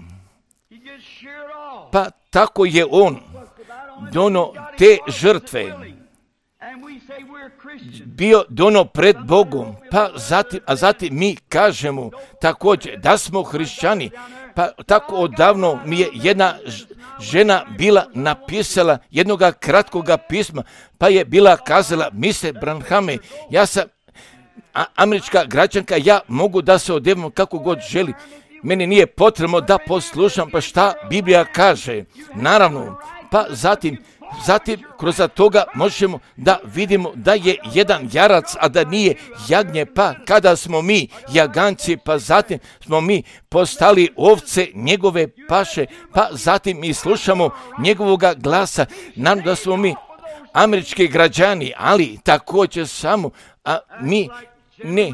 pa tako je on dono te žrtve bio dono pred Bogom, pa zatim, a zatim mi kažemo također da smo hrišćani. Pa tako odavno mi je jedna žena bila napisala jednoga kratkoga pisma, pa je bila kazala: mister Branhame, ja sam a, američka građanka, ja mogu da se odevam kako god želi. Meni nije potrebno da poslušam pa šta Biblija kaže. Naravno, pa zatim Zatim, kroz toga možemo da vidimo da je jedan jarac, a da nije jagnje, pa kada smo mi jaganci, pa zatim smo mi postali ovce njegove paše, pa zatim mi slušamo njegovoga glasa. Naravno da smo mi američki građani, ali također samo, a mi ne,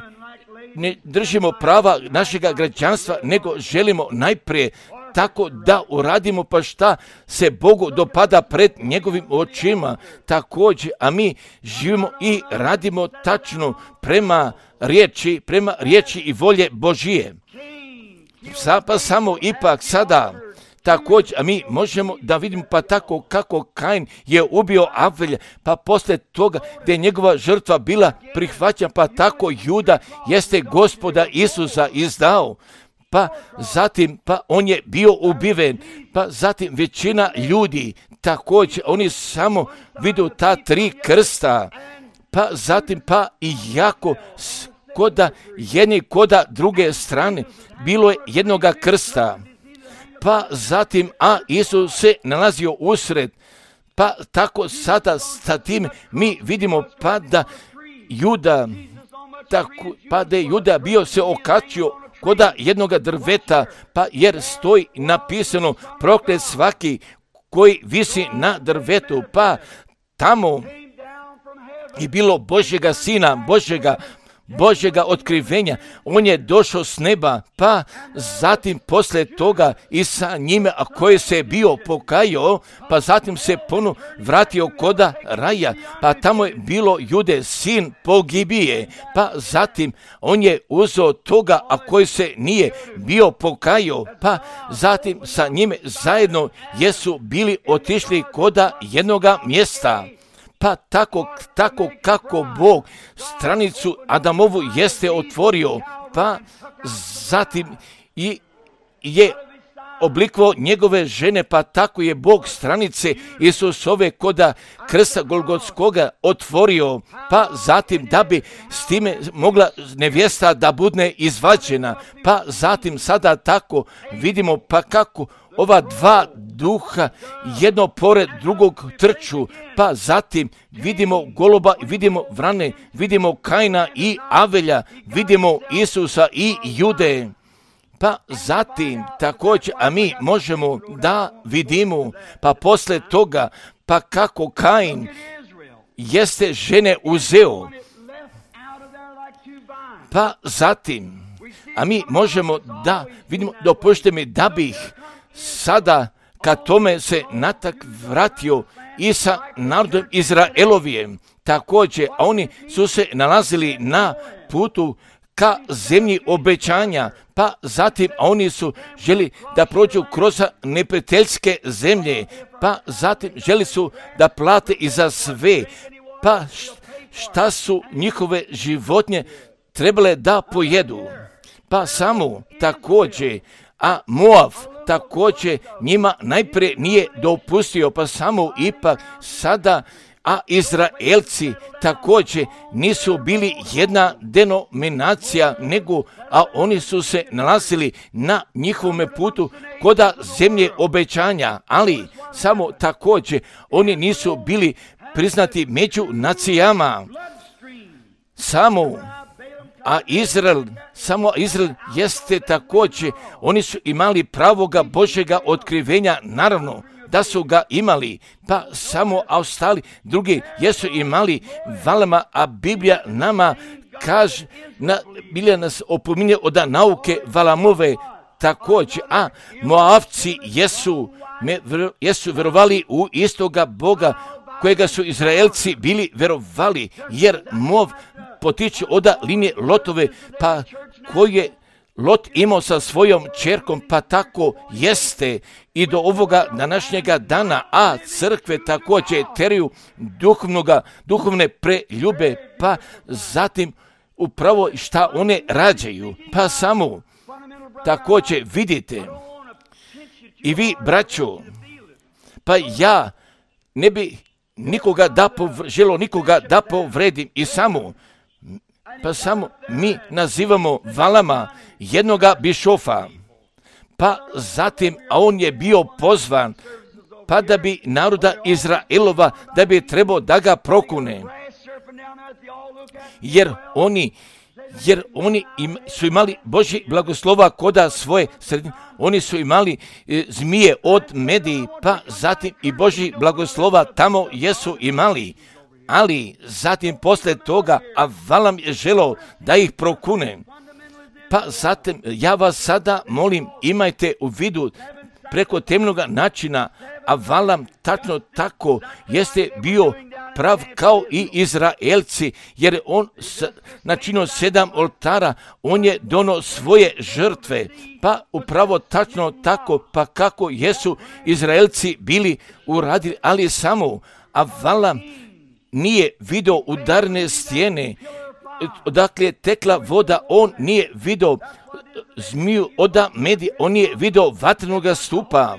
ne držimo prava našega građanstva, nego želimo najprije tako da uradimo pa šta se Bogu dopada pred njegovim očima također, a mi živimo i radimo tačno prema riječi, prema riječi i volje Božije. Sa, pa samo ipak sada također, a mi možemo da vidimo pa tako kako Kain je ubio Avelja, pa poslije toga gdje je njegova žrtva bila prihvaćena, pa tako Juda jeste Gospoda Isusa izdao. Pa zatim, pa on je bio ubiven, pa zatim većina ljudi također, oni samo vidu ta tri krsta, pa zatim, pa i jako koda jedni koda druge strane, bilo je jednoga krsta, pa zatim, a Isus se nalazio usred, pa tako sada sa tim mi vidimo pa da Juda, tako, pa da je Juda bio se okačio koda jednoga drveta, pa jer stoji napisano: proklet svaki koji visi na drvetu, pa tamo je bilo Božjega sina, Božjega, Božjega otkrivenja. On je došao s neba, pa zatim poslije toga i sa njime, a koji se je bio pokajao, pa zatim se ponovo vratio koda raja, pa tamo je bilo Jude, sin pogibije, pa zatim on je uzeo toga, a koji se nije bio pokajao, pa zatim sa njime zajedno jesu bili otišli koda jednoga mjesta. Pa tako, tako kako Bog stranicu Adamovu jeste otvorio, pa zatim i je oblikovao njegove žene, pa tako je Bog stranice Isusove koda krsta Golgotskoga otvorio, pa zatim da bi s time mogla nevjesta da bude izvađena, pa zatim sada tako vidimo pa kako ova dva duha jedno pored drugog trču, pa zatim vidimo goluba, vidimo vrane, vidimo Kaina i Avelja, vidimo Isusa i Jude. Pa zatim također, a mi možemo da vidimo, pa posle toga, pa kako Kain jeste žene uzeo, pa zatim, a mi možemo da vidimo, dopušte mi da bih sada kad tome se natak vratio i sa narodom Izraelovijem također, a oni su se nalazili na putu ka zemlji obećanja, pa zatim a oni su želi da prođu kroz neprijateljske zemlje, pa zatim želi su da plate i za sve, pa šta su njihove životinje trebale da pojedu, pa samo također, a Moav također njima najprije nije dopustio, pa samo ipak sada, a Izraelci također nisu bili jedna denominacija, nego, a oni su se nalazili na njihovom putu koda zemlje obećanja, ali samo također oni nisu bili priznati među nacijama. Samo A Izrael, samo Izrael jeste također, oni su imali pravoga Božjega otkrivenja, naravno da su ga imali, pa samo a ostali drugi jesu imali valama, a Biblija nama kaže, na, Biblija nas opominje od nauke Valamove, također, a Moavci jesu, me, jesu verovali u istoga Boga kojega su Izraelci bili verovali, jer Moav potiče od linije Lotove, pa koji je Lot imao sa svojom čerkom, pa tako jeste i do ovoga današnjega dana, a crkve također teriju duhovnoga, duhovne preljube, pa zatim upravo šta one rađaju, pa samo također vidite i vi, braćo, pa ja ne bi nikoga da povr, želo nikoga da povredim i samo pa samo mi nazivamo Valama jednoga bišofa, pa zatim, a on je bio pozvan, pa da bi naroda Izraelova, da bi trebao da ga prokune, jer oni, jer oni im, su imali Božji blagoslova koda svoje sredine, oni su imali e, zmije od Mediji, pa zatim i Božji blagoslova tamo jesu imali. Ali zatim posle toga, a Valam je želeo da ih prokune. Pa zatim ja vas sada molim, imajte u vidu preko temnoga načina, a Valam tačno tako jeste bio prav kao i Izraelci, jer on načinio sedam oltara, on je dono svoje žrtve, pa upravo tačno tako, pa kako jesu Izraelci bili uradili, ali samo, a Valam nije vidio udarne stijene, odakle je tekla voda, on nije vidio zmiju od Medije, on nije vidio vatrenoga stupa.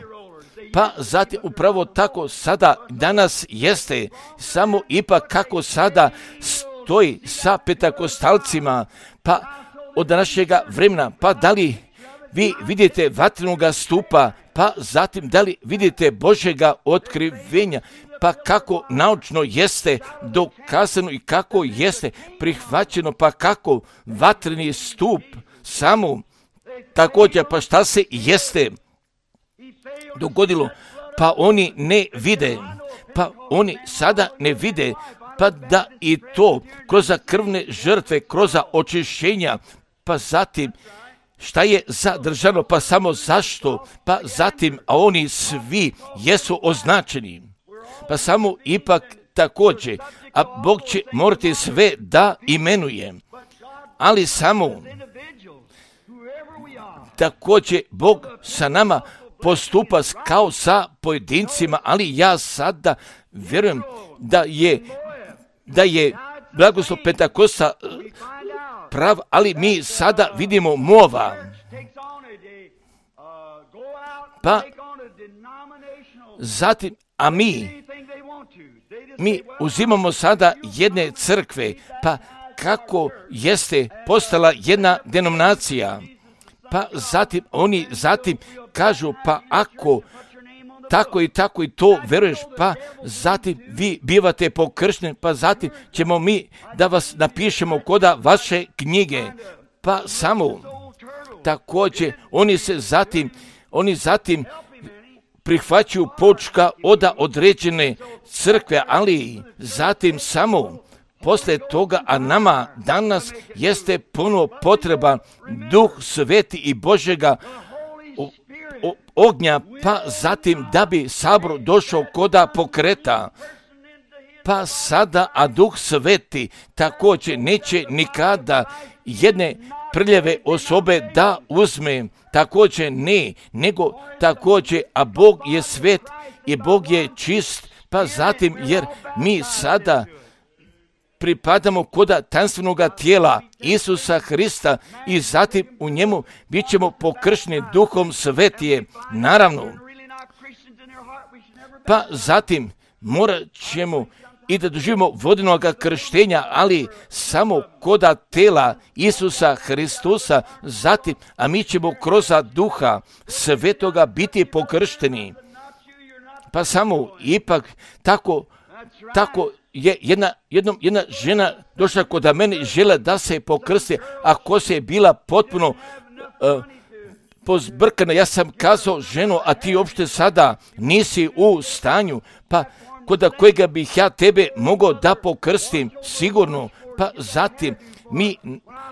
Pa zatim upravo tako sada danas jeste, samo ipak kako sada stoji sa petakostalcima, pa od današnjega vremena, pa da li vi vidite vatrenoga stupa, pa zatim da li vidite Božjega otkrivenja, pa kako naučno jeste dokazano i kako jeste prihvaćeno, pa kako vatreni stup samo također, pa šta se jeste dogodilo, pa oni ne vide, pa oni sada ne vide, pa da i to kroz krvne žrtve, kroz očišćenja, pa zatim šta je zadržano, pa samo zašto, pa zatim, a oni svi jesu označeni, pa samo ipak također, a Bog će morati sve da imenuje, ali samo također Bog sa nama postupa kao sa pojedincima, ali ja sada vjerujem da je, da je blagoslov Pentakosta prav, ali mi sada vidimo Moava. Pa zatim, a mi, mi uzimamo sada jedne crkve, pa kako jeste postala jedna denominacija, pa zatim oni zatim kažu, pa ako tako i tako i to veruješ, pa zatim vi bivate pokršteni, pa zatim ćemo mi da vas napišemo koda vaše knjige, pa samo također oni se zatim, oni zatim prihvaćaju počka od određene crkve, ali zatim samo posle toga, a nama danas jeste puno potreban Duh Sveti i Božjega o, o, ognja, pa zatim da bi sabor došao koda pokreta. Pa sada, a Duh Sveti također neće nikada jedne prljave osobe da uzme, također ne, nego također, a Bog je svet i Bog je čist, pa zatim jer mi sada pripadamo koda tanstvenoga tijela Isusa Hrista i zatim u njemu bit ćemo pokršteni Duhom Svetije, naravno. Pa zatim morat ćemo i da doživimo vodenog krštenja, ali samo koda tela Isusa Hristusa, zatim, a mi ćemo kroz Duha Svetoga biti pokršteni. Pa samo ipak tako, tako je jedna, jednom, jedna žena došla kod mene i žela da se pokrsti, ako se je bila potpuno uh, pozbrkana. Ja sam kazao, ženo, a ti uopšte sada nisi u stanju, pa koda kojega bih ja tebe mogao da pokrstim, sigurno, pa zatim mi,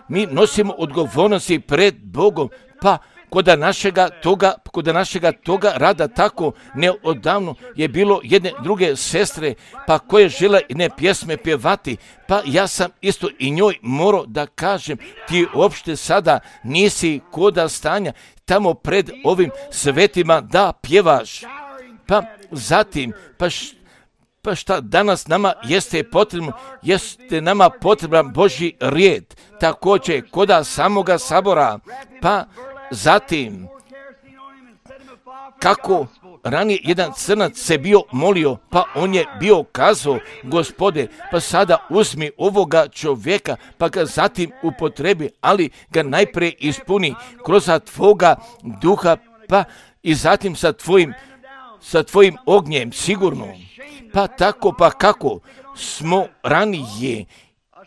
mi nosimo odgovornosti pred Bogom, pa Koda našega toga, koda našega toga rada tako neodavno je bilo jedne druge sestre, pa koje žele ne pjesme pjevati, pa ja sam isto i njoj morao da kažem, ti uopšte sada nisi koda stanja tamo pred ovim svetima da pjevaš. Pa zatim, pa š, Pa šta danas nama jeste potrebno, jeste nama potreban Božji rijed, također koda samoga sabora, pa zatim kako ranije jedan crnac se bio molio, pa on je bio kazao, Gospode, pa sada uzmi ovoga čovjeka, pa ga zatim upotrebi, ali ga najprije ispuni kroz tvoga duha, pa i zatim sa tvojim, sa tvojim ognjem sigurno. Pa tako, pa kako smo ranije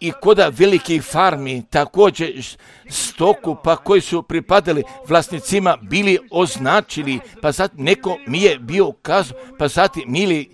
i koda velikih farmi, također stoku, pa koji su pripadali vlasnicima, bili označili, pa zatim neko mi je bio kazao, pa zatim mili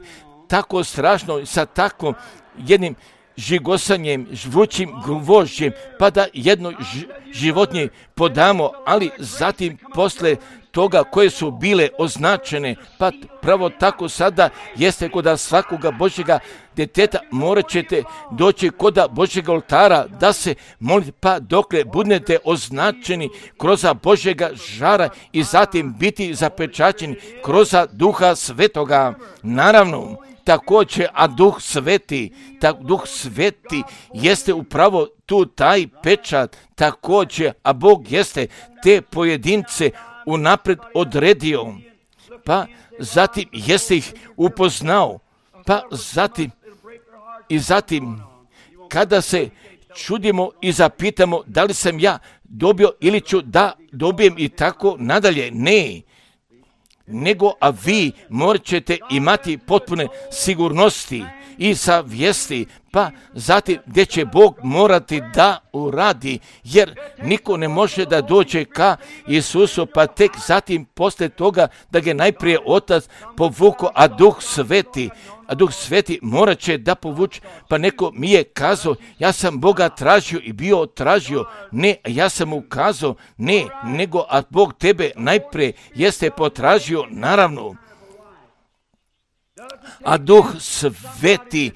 tako strašno sa takvom jednim žigosanjem, žvućim gvožđem, pa da jedno ž- životinje podamo, ali zatim posle toga koje su bile označene, pa pravo tako sada jeste koda svakoga Božjega djeteta morat ćete doći koda Božjega oltara da se molite, pa dokle budete označeni kroz Božjega žara i zatim biti zapečaćeni kroz Duha Svetoga. Naravno, također, a Duh Sveti, ta, Duh Sveti jeste upravo tu taj pečat, također, a Bog jeste te pojedince unapred odredio, pa zatim jeste ih upoznao, pa zatim i zatim kada se čudimo i zapitamo da li sam ja dobio ili ću da dobijem i tako nadalje, ne, nego a vi morat ćete imati potpune sigurnosti i savjesti, pa zatim gdje će Bog morati da uradi, jer niko ne može da dođe ka Isusu, pa tek zatim posle toga da ga najprije Otac povuko, a Duh Sveti, a Duh Sveti morat će da povuče, pa neko mi je kazao, ja sam Boga tražio i bio tražio, ne, ja sam mu kazao, ne, nego a Bog tebe najprije jeste potražio, naravno. A Duh Sveti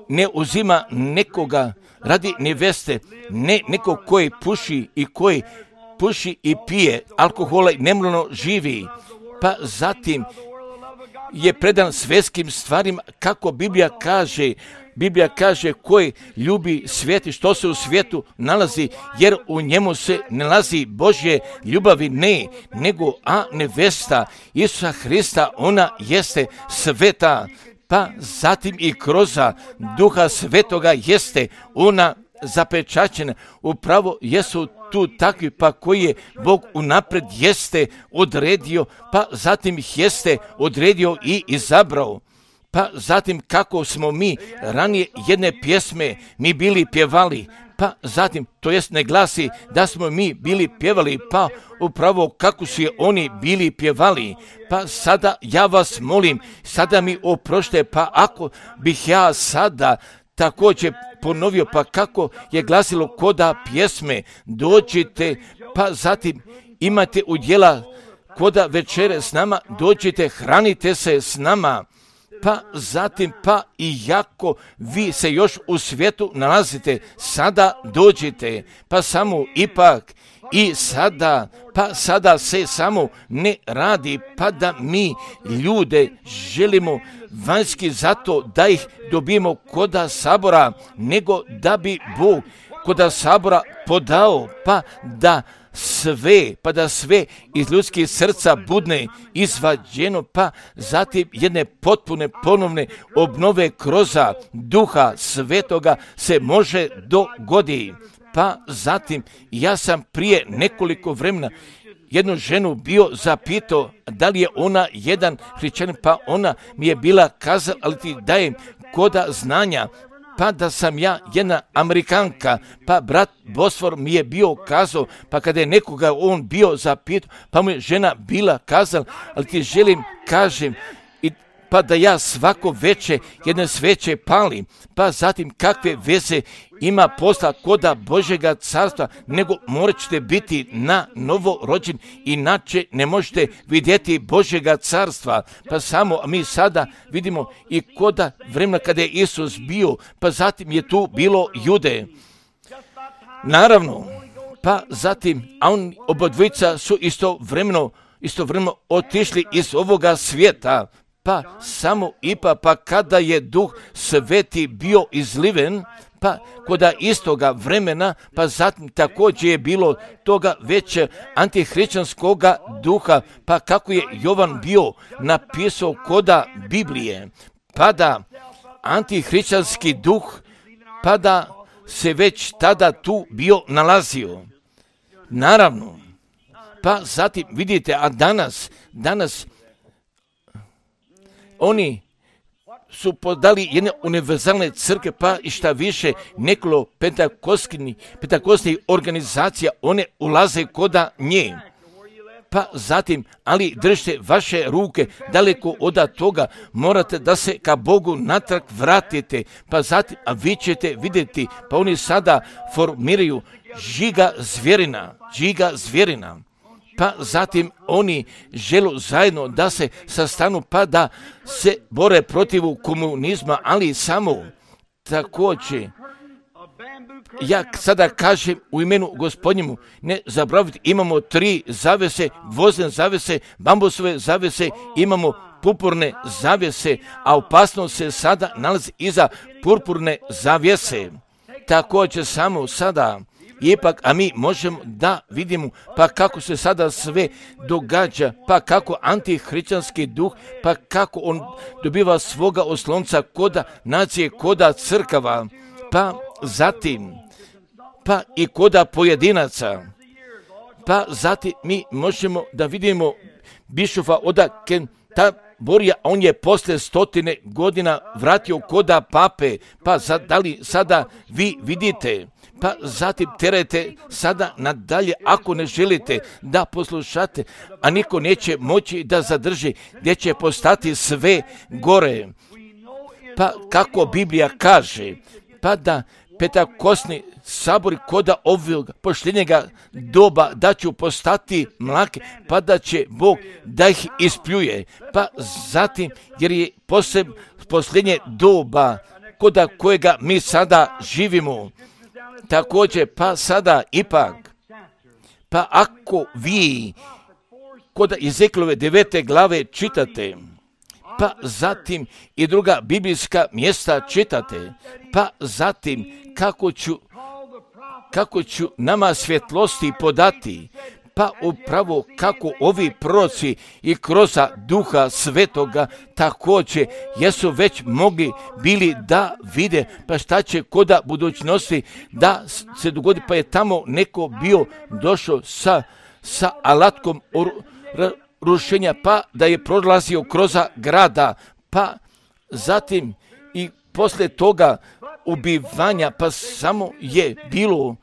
ne uzima nekoga radi neveste, ne nekog koji puši i koji puši i pije alkohola i nemoralno živi, pa zatim je predan svjetskim stvarima, kako Biblija kaže, Biblija kaže koji ljubi svijet i što se u svijetu nalazi, jer u njemu se ne nalazi Božje ljubavi, ne, nego a nevesta Isusa Hrista, ona jeste sveta, pa zatim i kroz Duha Svetoga jeste ona zapečaćena, upravo jesu tu takvi, pa koji je Bog unapred jeste odredio, pa zatim ih jeste odredio i izabrao. Pa zatim kako smo mi ranije jedne pjesme mi bili pjevali, pa zatim, to jest ne glasi da smo mi bili pjevali, pa upravo kako su je oni bili pjevali, pa sada ja vas molim, sada mi oprošte, pa ako bih ja sada također ponovio, pa kako je glasilo koda pjesme, dođite, pa zatim imate udjela koda večere s nama, dođite, hranite se s nama, pa zatim, pa i jako vi se još u svijetu nalazite, sada dođite, pa samo ipak i sada, pa sada se samo ne radi, pa da mi ljude želimo vanjski zato da ih dobijemo koda sabora, nego da bi Bog koda sabora podao, pa da sve, pa da sve iz ljudskih srca budne izvađeno, pa zatim jedne potpune ponovne obnove kroz Duha Svetoga se može dogoditi. Pa zatim ja sam prije nekoliko vremena jednu ženu bio zapitao da li je ona jedan hrišćanin, pa ona mi je bila kazala, ali ti dajem koda znanja, pa da sam ja jedna Amerikanka, pa brat Bosfor mi je bio kazao, pa kada je nekoga on bio zapitao, pa mu je žena bila kazala, ali ti želim, kažem, i pa da ja svako veče jedne sveće palim, pa zatim kakve veze ima posla koda Božjega carstva, nego morat ćete biti na novo rođen, inače ne možete vidjeti Božjega carstva. Pa samo mi sada vidimo i koda vremena kada je Isus bio, pa zatim je tu bilo Jude. Naravno, pa zatim, a on obodvojica su istovremeno, istovremeno otišli iz ovoga svijeta, pa samo ipa, pa kada je Duh Sveti bio izliven, pa koda istoga vremena, pa zatim također je bilo toga već antihrišćanskoga duha, pa kako je Jovan bio napisao koda Biblije, pa da antihrišćanski duh, pa da se već tada tu bio nalazio. Naravno, pa zatim vidite, a danas, danas oni su podali jedne univerzalne crkve, pa i šta više nekoliko pentakostnih organizacija, one ulaze koda nje. Pa zatim, ali držite vaše ruke daleko od toga, morate da se ka Bogu natrag vratite, pa zatim, a vi ćete vidjeti, pa oni sada formiraju žiga zvjerina, žiga zvjerina. Pa zatim oni žele zajedno da se sastanu, pa da se bore protiv komunizma, ali samo također, ja sada kažem u imenu Gospodnjemu, ne zaboravite, imamo tri zavese, vozne zavese, bambusove zavese, imamo purpurne zavese, a opasnost se sada nalazi iza purpurne zavjese. Također samo sada, ipak, a mi možemo da vidimo pa kako se sada sve događa, pa kako antihrišćanski duh, pa kako on dobiva svoga oslonca koda nacije, koda crkava, pa zatim, pa i koda pojedinaca. Pa zatim mi možemo da vidimo bišofa oda Kenterburija, on je posle stotine godina vratio koda pape, pa za, da li sada vi vidite, pa zatim terajte sada nadalje ako ne želite da poslušate, a niko neće moći da zadrži, gdje će postati sve gore. Pa kako Biblija kaže, pa da petakosni sabori koda ovog pošljenjega doba da će postati mlake, pa da će Bog da ih ispljuje. Pa zatim, jer je poseb, posljednje doba koda kojega mi sada živimo. Također, pa sada ipak, pa ako vi koda Ezekielove devete glave čitate, pa zatim i druga biblijska mjesta čitate, pa zatim kako ću, kako ću nama svjetlosti podati, pa upravo kako ovi proroci i kroz Duha Svetoga također jesu već mogli bili da vide, pa šta će koda budućnosti da se dogodi, pa je tamo neko bio došao sa, sa alatkom rušenja, pa da je prolazio kroz grada, pa zatim i poslije toga ubivanja, pa samo je bilo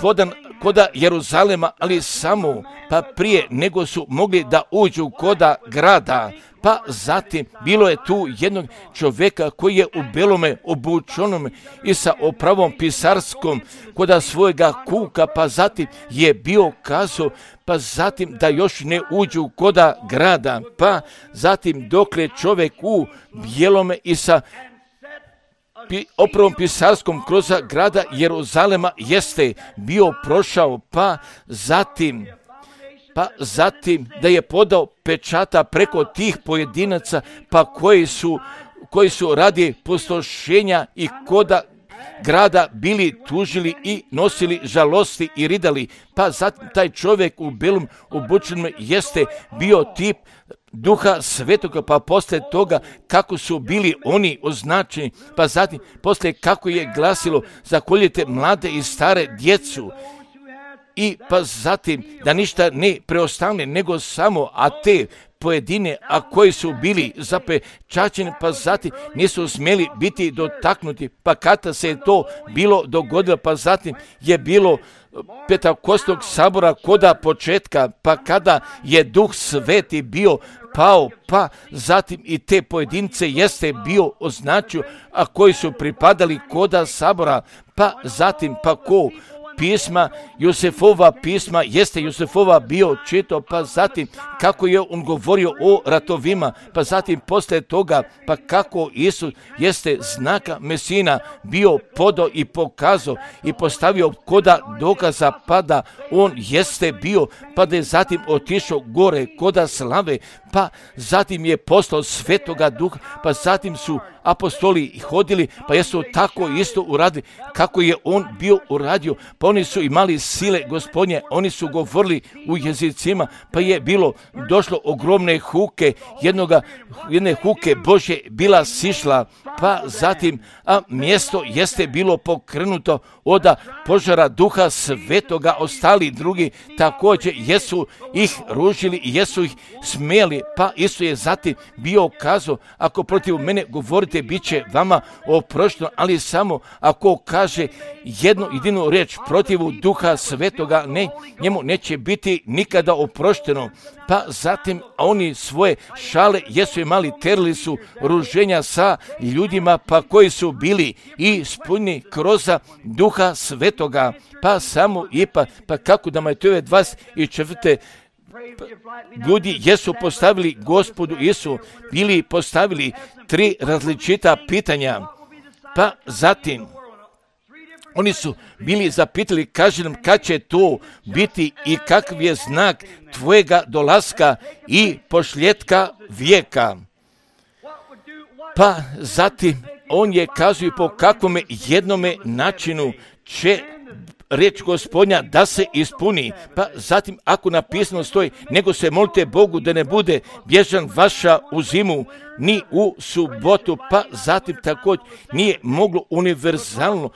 podan koda Jeruzalema, ali samo pa prije nego su mogli da uđu koda grada, pa zatim bilo je tu jednog čovjeka koji je u belome obučenome i sa opravom pisarskom koda svojega kuka, pa zatim je bio kazao, pa zatim da još ne uđu koda grada, pa zatim dokle čovjek u bijelome i sa opravom pisarskom kroz grada Jeruzalema jeste bio prošao, pa zatim, pa zatim da je podao pečata preko tih pojedinaca, pa koji su, koji su radi pustošenja i koda grada bili tužili i nosili žalosti i ridali, pa zatim taj čovjek u belom obučenom jeste bio tip Duha Svetoga, pa poslije toga kako su bili oni označeni, pa zatim poslije kako je glasilo zakoljite mlade i stare djecu, i pa zatim da ništa ne preostane nego samo, a te pojedine, a koji su bili zapečaćeni, pa zatim nisu smjeli biti dotaknuti, pa kada se je to bilo dogodilo, pa zatim je bilo Pentekostnog sabora koda početka, pa kada je Duh Sveti bio pao, pa zatim i te pojedince jeste bio označio, a koji su pripadali koda sabora, pa zatim pa ko pisma, Josefova pisma, jeste Josefova bio čito, pa zatim kako je on govorio o ratovima, pa zatim posle toga, pa kako Isus jeste znaka Mesina bio podao i pokazao i postavio koda dokaza, pa da on jeste bio, pa da je zatim otišao gore koda slave, pa zatim je poslao Svetoga Duha, pa zatim su apostoli hodili, pa jesu tako isto uradili kako je on bio uradio, pa oni su imali sile Gospodnje, oni su govorili u jezicima, pa je bilo došlo ogromne huke, jednoga, jedne huke Božje bila sišla, pa zatim a mjesto jeste bilo pokrenuto od požara Duha Svetoga, ostali drugi također jesu ih ružili i jesu ih smijeli, pa isto je zatim bio kazao, ako protiv mene govorite, bit će vama oprošteno, ali samo ako kaže jednu jedinu riječ protivu Duha Svetoga, ne, njemu neće biti nikada oprošteno. Pa zatim oni svoje šale jesu imali, terili su ruženja sa ljudima, pa koji su bili ispunjeni kroz Duha Svetoga, pa samo i pa, pa kako da Matejove dvadeset četvrte ljudi jesu postavili Gospodu Isu, bili postavili tri različita pitanja, pa zatim oni su bili zapitali, kaže nam kad će to biti i kakav je znak tvojega dolaska i pošljetka vijeka. Pa zatim on je kazao po kakvome jednome načinu će riječ Gospodnja da se ispuni, pa zatim ako napisano stoji, nego se molite Bogu da ne bude bježan vaša u zimu, ni u subotu, pa zatim također nije moglo univerzalno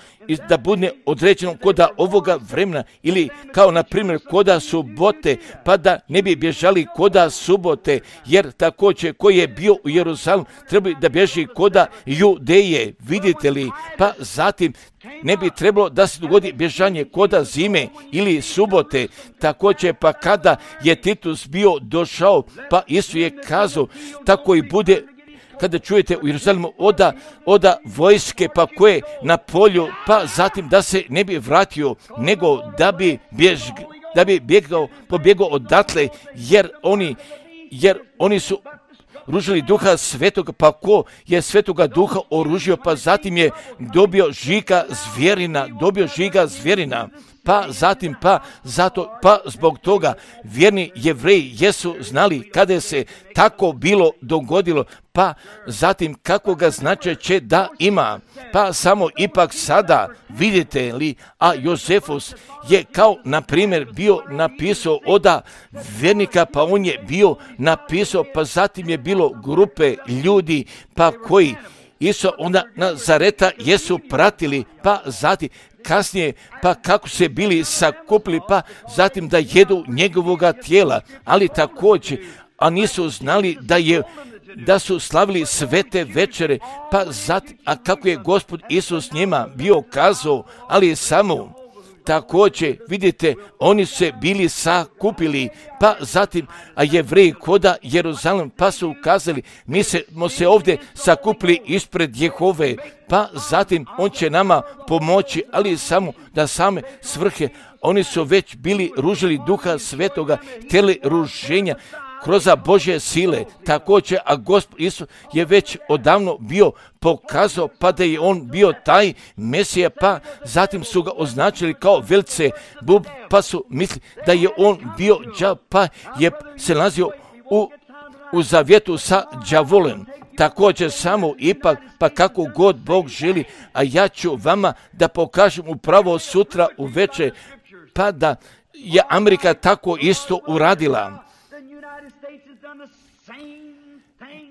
da bude određeno koda ovoga vremena ili kao na primjer koda subote, pa da ne bi bježali koda subote, jer također koji je bio u Jeruzalemu treba da bježi koda Judeje, vidite li, pa zatim ne bi trebalo da se dogodi bježanje koda zime ili subote, također pa kada je Titus bio došao, pa Isus je kazao, tako i bude kada čujete u Jeruzalemu oda, oda vojske pa koje na polju, pa zatim da se ne bi vratio, nego da bi, bjež, da bi bjegao, pobjegao odatle, jer oni, jer oni su ružili Duha Svetoga, pa ko je Svetoga Duha oružio, pa zatim je dobio žiga zvjerina, dobio žiga zvjerina, pa zatim, pa zato, pa zbog toga vjerni Jevreji jesu znali kada je se tako bilo dogodilo, pa zatim kakvoga značaja će da ima, pa samo ipak sada vidite li, a Jozefus je kao na primjer bio napisao oda vjernika, pa on je bio napisao, pa zatim je bilo grupe ljudi, pa koji Isu onda Nazareta jesu pratili, pa zatim kasnije, pa kako se bili sakupili, pa zatim da jedu njegovoga tijela, ali također, a nisu znali da je da su slavili svete večere, pa zatim, a kako je Gospod Isus njima bio kazao, ali samo također, vidite, oni su se bili sakupili, pa zatim, a Jevreji koda Jeruzalem, pa su ukazali, mi smo se ovdje sakupili ispred Jehove, pa zatim on će nama pomoći, ali samo da same svrhe, oni su već bili ružili Duha Svetoga, htjeli ruženja kroz Božje sile, također, a Gospod Isus je već odavno bio pokazao, pa da je on bio taj Mesija, pa zatim su ga označili kao velce bub, pa su mislili da je on bio đav, pa je se nalazio u, u zavjetu sa đavolem. Također samo ipak, pa kako god Bog želi, a ja ću vama da pokažem upravo sutra u večer, pa da je Amerika tako isto uradila.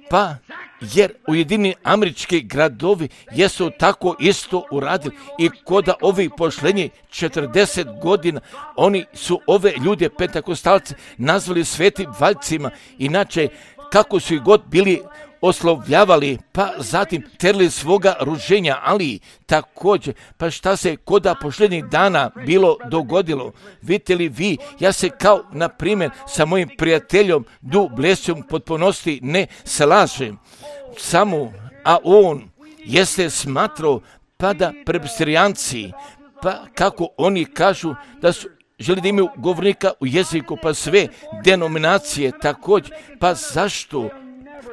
Pa, jer Ujedinjeni američki gradovi jesu tako isto uradili i koda ovih posljednjih četrdeset godina oni su ove ljude pentakostalce nazvali svetim valjcima, inače kako su ih god bili oslovljavali, pa zatim terli svoga ruženja, ali također, pa šta se koda posljednjih dana bilo dogodilo? Vidite li vi, ja se kao, na primjer, sa mojim prijateljom Du Blesijom potpunosti ne slažem, samo, a on jeste smatrao, pa da presbiterijanci, pa kako oni kažu da su želi da imaju govornika u jeziku, pa sve denominacije također, pa zašto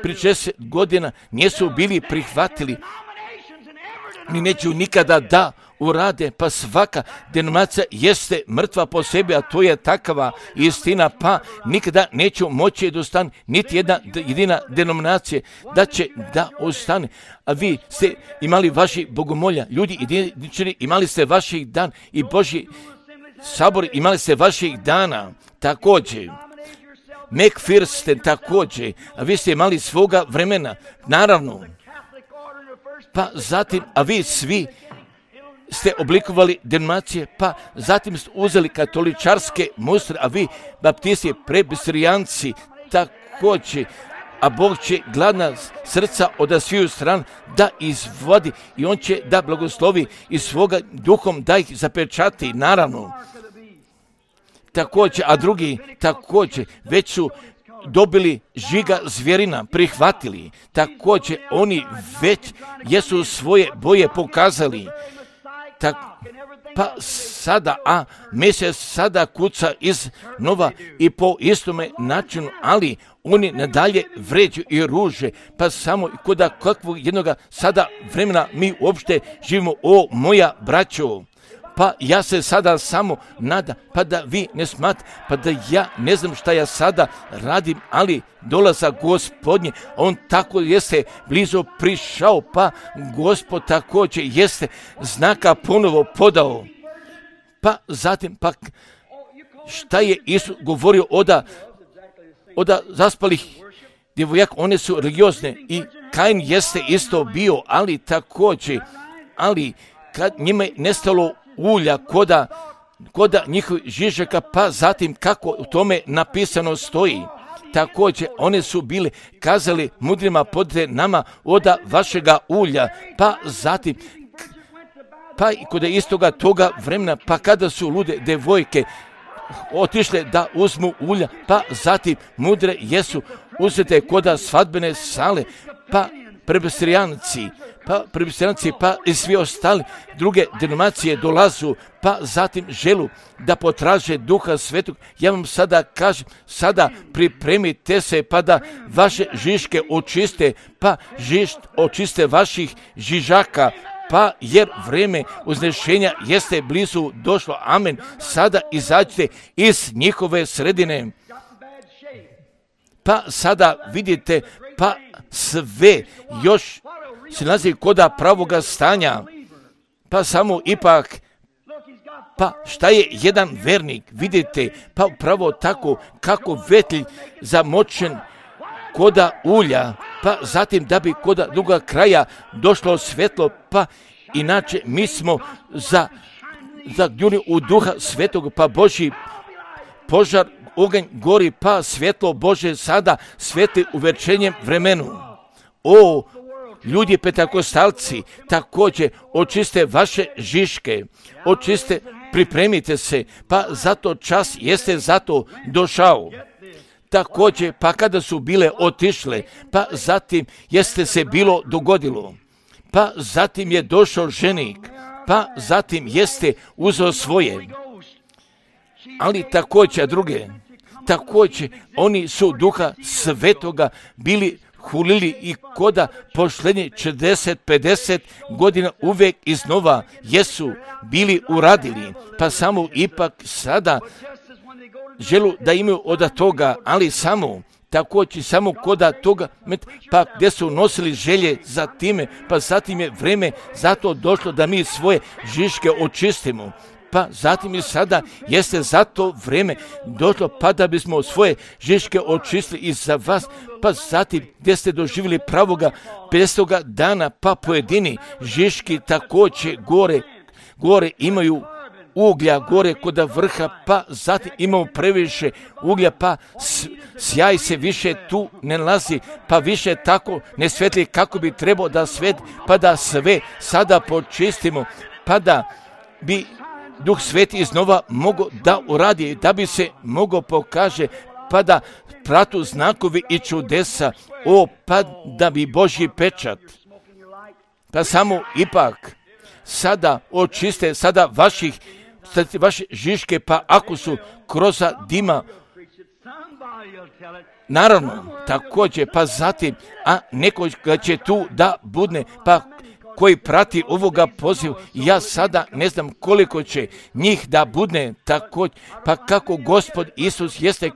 pri šezdeset godina nisu bili prihvatili, ni neću nikada da urade, pa svaka denominacija jeste mrtva po sebi, a to je takava istina, pa nikada neću moći da ostane niti jedna jedina denominacija da će da ostane. A vi ste imali vaši bogomolja, ljudi jedinični, imali ste vaših dan i Božji sabor, imali ste vaših dana također. McPherson također, a vi ste imali svoga vremena, naravno. Pa zatim, a vi svi ste oblikovali denominacije, pa zatim ste uzeli katoličarske mustre, a vi baptisti, presbiterijanci također, a Bog će gladna srca od sviju strana da izvodi i on će da blagoslovi i svoga duhom da ih zapečati, naravno. Također, a drugi također već su dobili žiga zvjerina, prihvatili. Također, oni već jesu svoje boje pokazali. Tak, pa sada, a Mesija sada kuca iz nova i po istome načinu, ali oni nadalje vređu i ruže, pa samo koda kakvog jednoga sada vremena mi uopšte živimo, o moja braćo. Pa ja se sada samo nadam, pa da vi ne smatrate, pa da ja ne znam šta ja sada radim, ali dolazak Gospodnje, on tako jeste blizu prišao, pa Gospod također jeste znaka ponovo podao. Pa zatim, pa šta je Isus govorio oda, oda zaspalih djevojaka, one su religiozne i Kain jeste isto bio, ali također, ali kad njima je nestalo ulja koda, koda njihovih žižaka, pa zatim kako u tome napisano stoji. Također, one su bile kazali mudrima podre nama oda vašega ulja, pa zatim, pa i kod istoga toga vremena, pa kada su lude devojke otišle da uzmu ulja, pa zatim mudre jesu uzete koda svadbene sale, pa presbiterijanci, pa presbiterijanci, pa i svi ostali druge denominacije dolazu, pa zatim želu da potraže Duha Svetog. Ja vam sada kažem, sada pripremite se pa da vaše žiške očiste, pa žišt očiste vaših žižaka, pa jer vreme uznešenja jeste blizu došlo. Amen. Sada izađite iz njihove sredine. Pa sada vidite, pa sve još se nalazi koda pravoga stanja, pa samo ipak, pa šta je jedan vernik, vidite, pa upravo tako kako vetlj zamočen koda ulja, pa zatim da bi koda druga kraja došlo svetlo, pa inače mi smo za, za u Duha Svetog, pa Božji požar, oganj gori, pa svjetlo Bože sada sveti uvečenjem vremenu. O, ljudi pentakostalci, također očiste vaše žiške, očiste, pripremite se, pa zato čas jeste zato došao. Također, pa kada su bile otišle, pa zatim jeste se bilo dogodilo, pa zatim je došao ženik, pa zatim jeste uzeo svoje, ali također druge, također oni su Duha Svetoga bili hulili i koda posljednje četrdeset pedeset godina uvijek iznova jesu bili uradili, pa samo ipak sada želu da imaju od toga, ali samo također samo koda toga, pa gdje su nosili želje za time, pa zatim je vreme zato došlo da mi svoje žiške očistimo. pa zatim i sada jeste za to vrijeme došlo, pa da bismo svoje žiške očistili i za vas, pa zatim gdje ste doživjeli pravoga petstoga dana, pa pojedini žiški također gore, gore imaju uglja gore kod vrha, pa zatim imamo previše uglja, pa sjaj se više tu ne nalazi, pa više tako ne svetli kako bi trebao da svet, pa da sve sada počistimo, pa da bi Duh Sveti iznova mogao da uradi, da bi se mogao pokaže, pa da pratu znakovi i čudesa, o, pa da bi Božji pečat, pa samo ipak sada očiste sada vaših vaše žiške, pa ako su kroz dima, naravno, također, pa zatim, a neko će tu da budne, pa koji prati ovoga pozivu, ja sada ne znam koliko će njih da budne također, pa kako Gospod Isus jeste,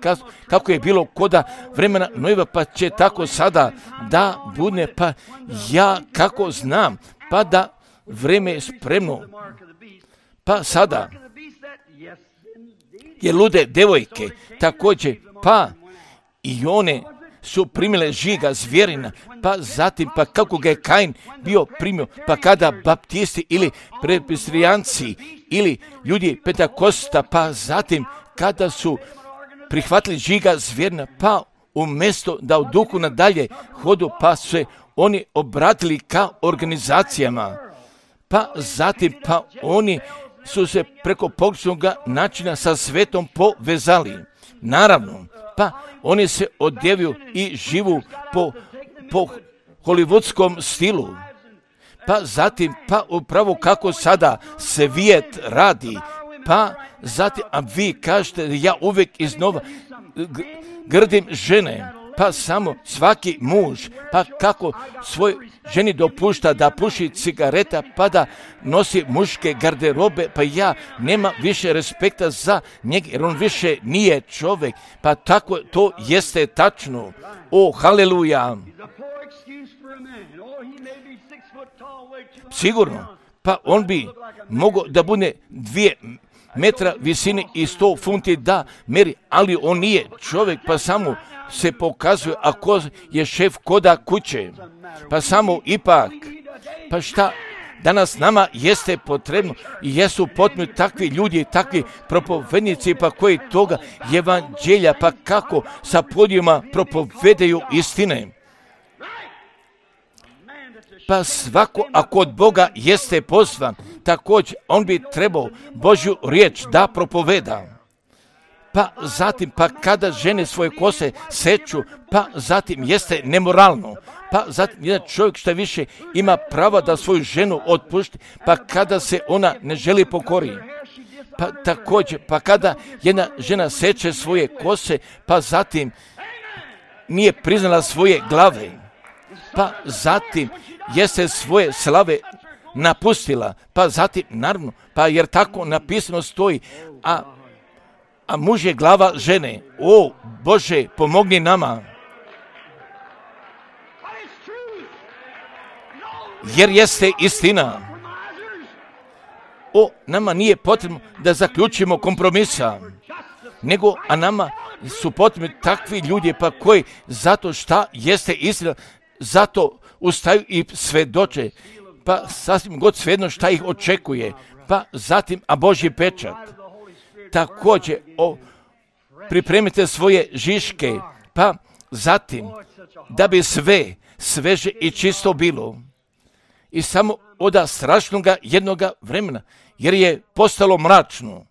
kako je bilo koda vremena Noeva, pa će tako sada da budne, pa ja kako znam, pa da vreme je spremno, pa sada je lude devojke također, pa i one su primile žiga zvjerina, pa zatim, pa kako ga je Kain bio primio, pa kada baptisti ili presbiterijanci ili ljudi Pentakosta, pa zatim kada su prihvatili žiga zvjerina, pa umjesto da u duhu nadalje hodu, pa se oni obratili ka organizacijama, pa zatim, pa oni su se preko pogrešnog načina sa svetom povezali. Naravno, pa oni se odjevaju i živu po, po hollywoodskom stilu. Pa zatim, pa upravo kako sada svijet radi, pa zatim, a vi kažete, ja uvijek iznova grdim žene, pa samo svaki muž, pa kako svoj ženi dopušta da puši cigareta, pa da nosi muške garderobe, pa ja nema više respekta za njega, jer on više nije čovjek, pa tako to jeste tačno. O, haleluja! Sigurno, pa on bi mogao da bude dvije metra visine i sto funti da meri, ali on nije čovjek, pa samo se pokazuje ako je šef koda kuće, pa samo ipak, pa šta danas nama jeste potrebno i jesu potrebni takvi ljudi, takvi propovednici, pa koji toga evanđelja, pa kako sa podijuma propovedaju istine. Pa svako ako od Boga jeste pozvan, također on bi trebao Božju riječ da propoveda. Pa zatim, pa kada žene svoje kose seču, pa zatim jeste nemoralno. Pa zatim jedan čovjek što više ima prava da svoju ženu otpušti, pa kada se ona ne želi pokori. Pa također, pa kada jedna žena seče svoje kose, pa zatim nije priznala svoje glave. Pa zatim jeste svoje slave napustila, pa zatim, naravno, pa jer tako napisano stoji, a, a muž je glava žene. O, Bože, pomogni nama. Jer jeste istina. O, nama nije potrebno da zaključimo kompromisa, nego, a nama su potrebni takvi ljudi, pa koji zato šta jeste istina, zato ustaju i svedoče, pa sasvim god svejedno šta ih očekuje, pa zatim, a Božji pečat. Također, o, pripremite svoje žiške, pa zatim, da bi sve sveže i čisto bilo. I samo od strašnoga jednoga vremena, jer je postalo mračno.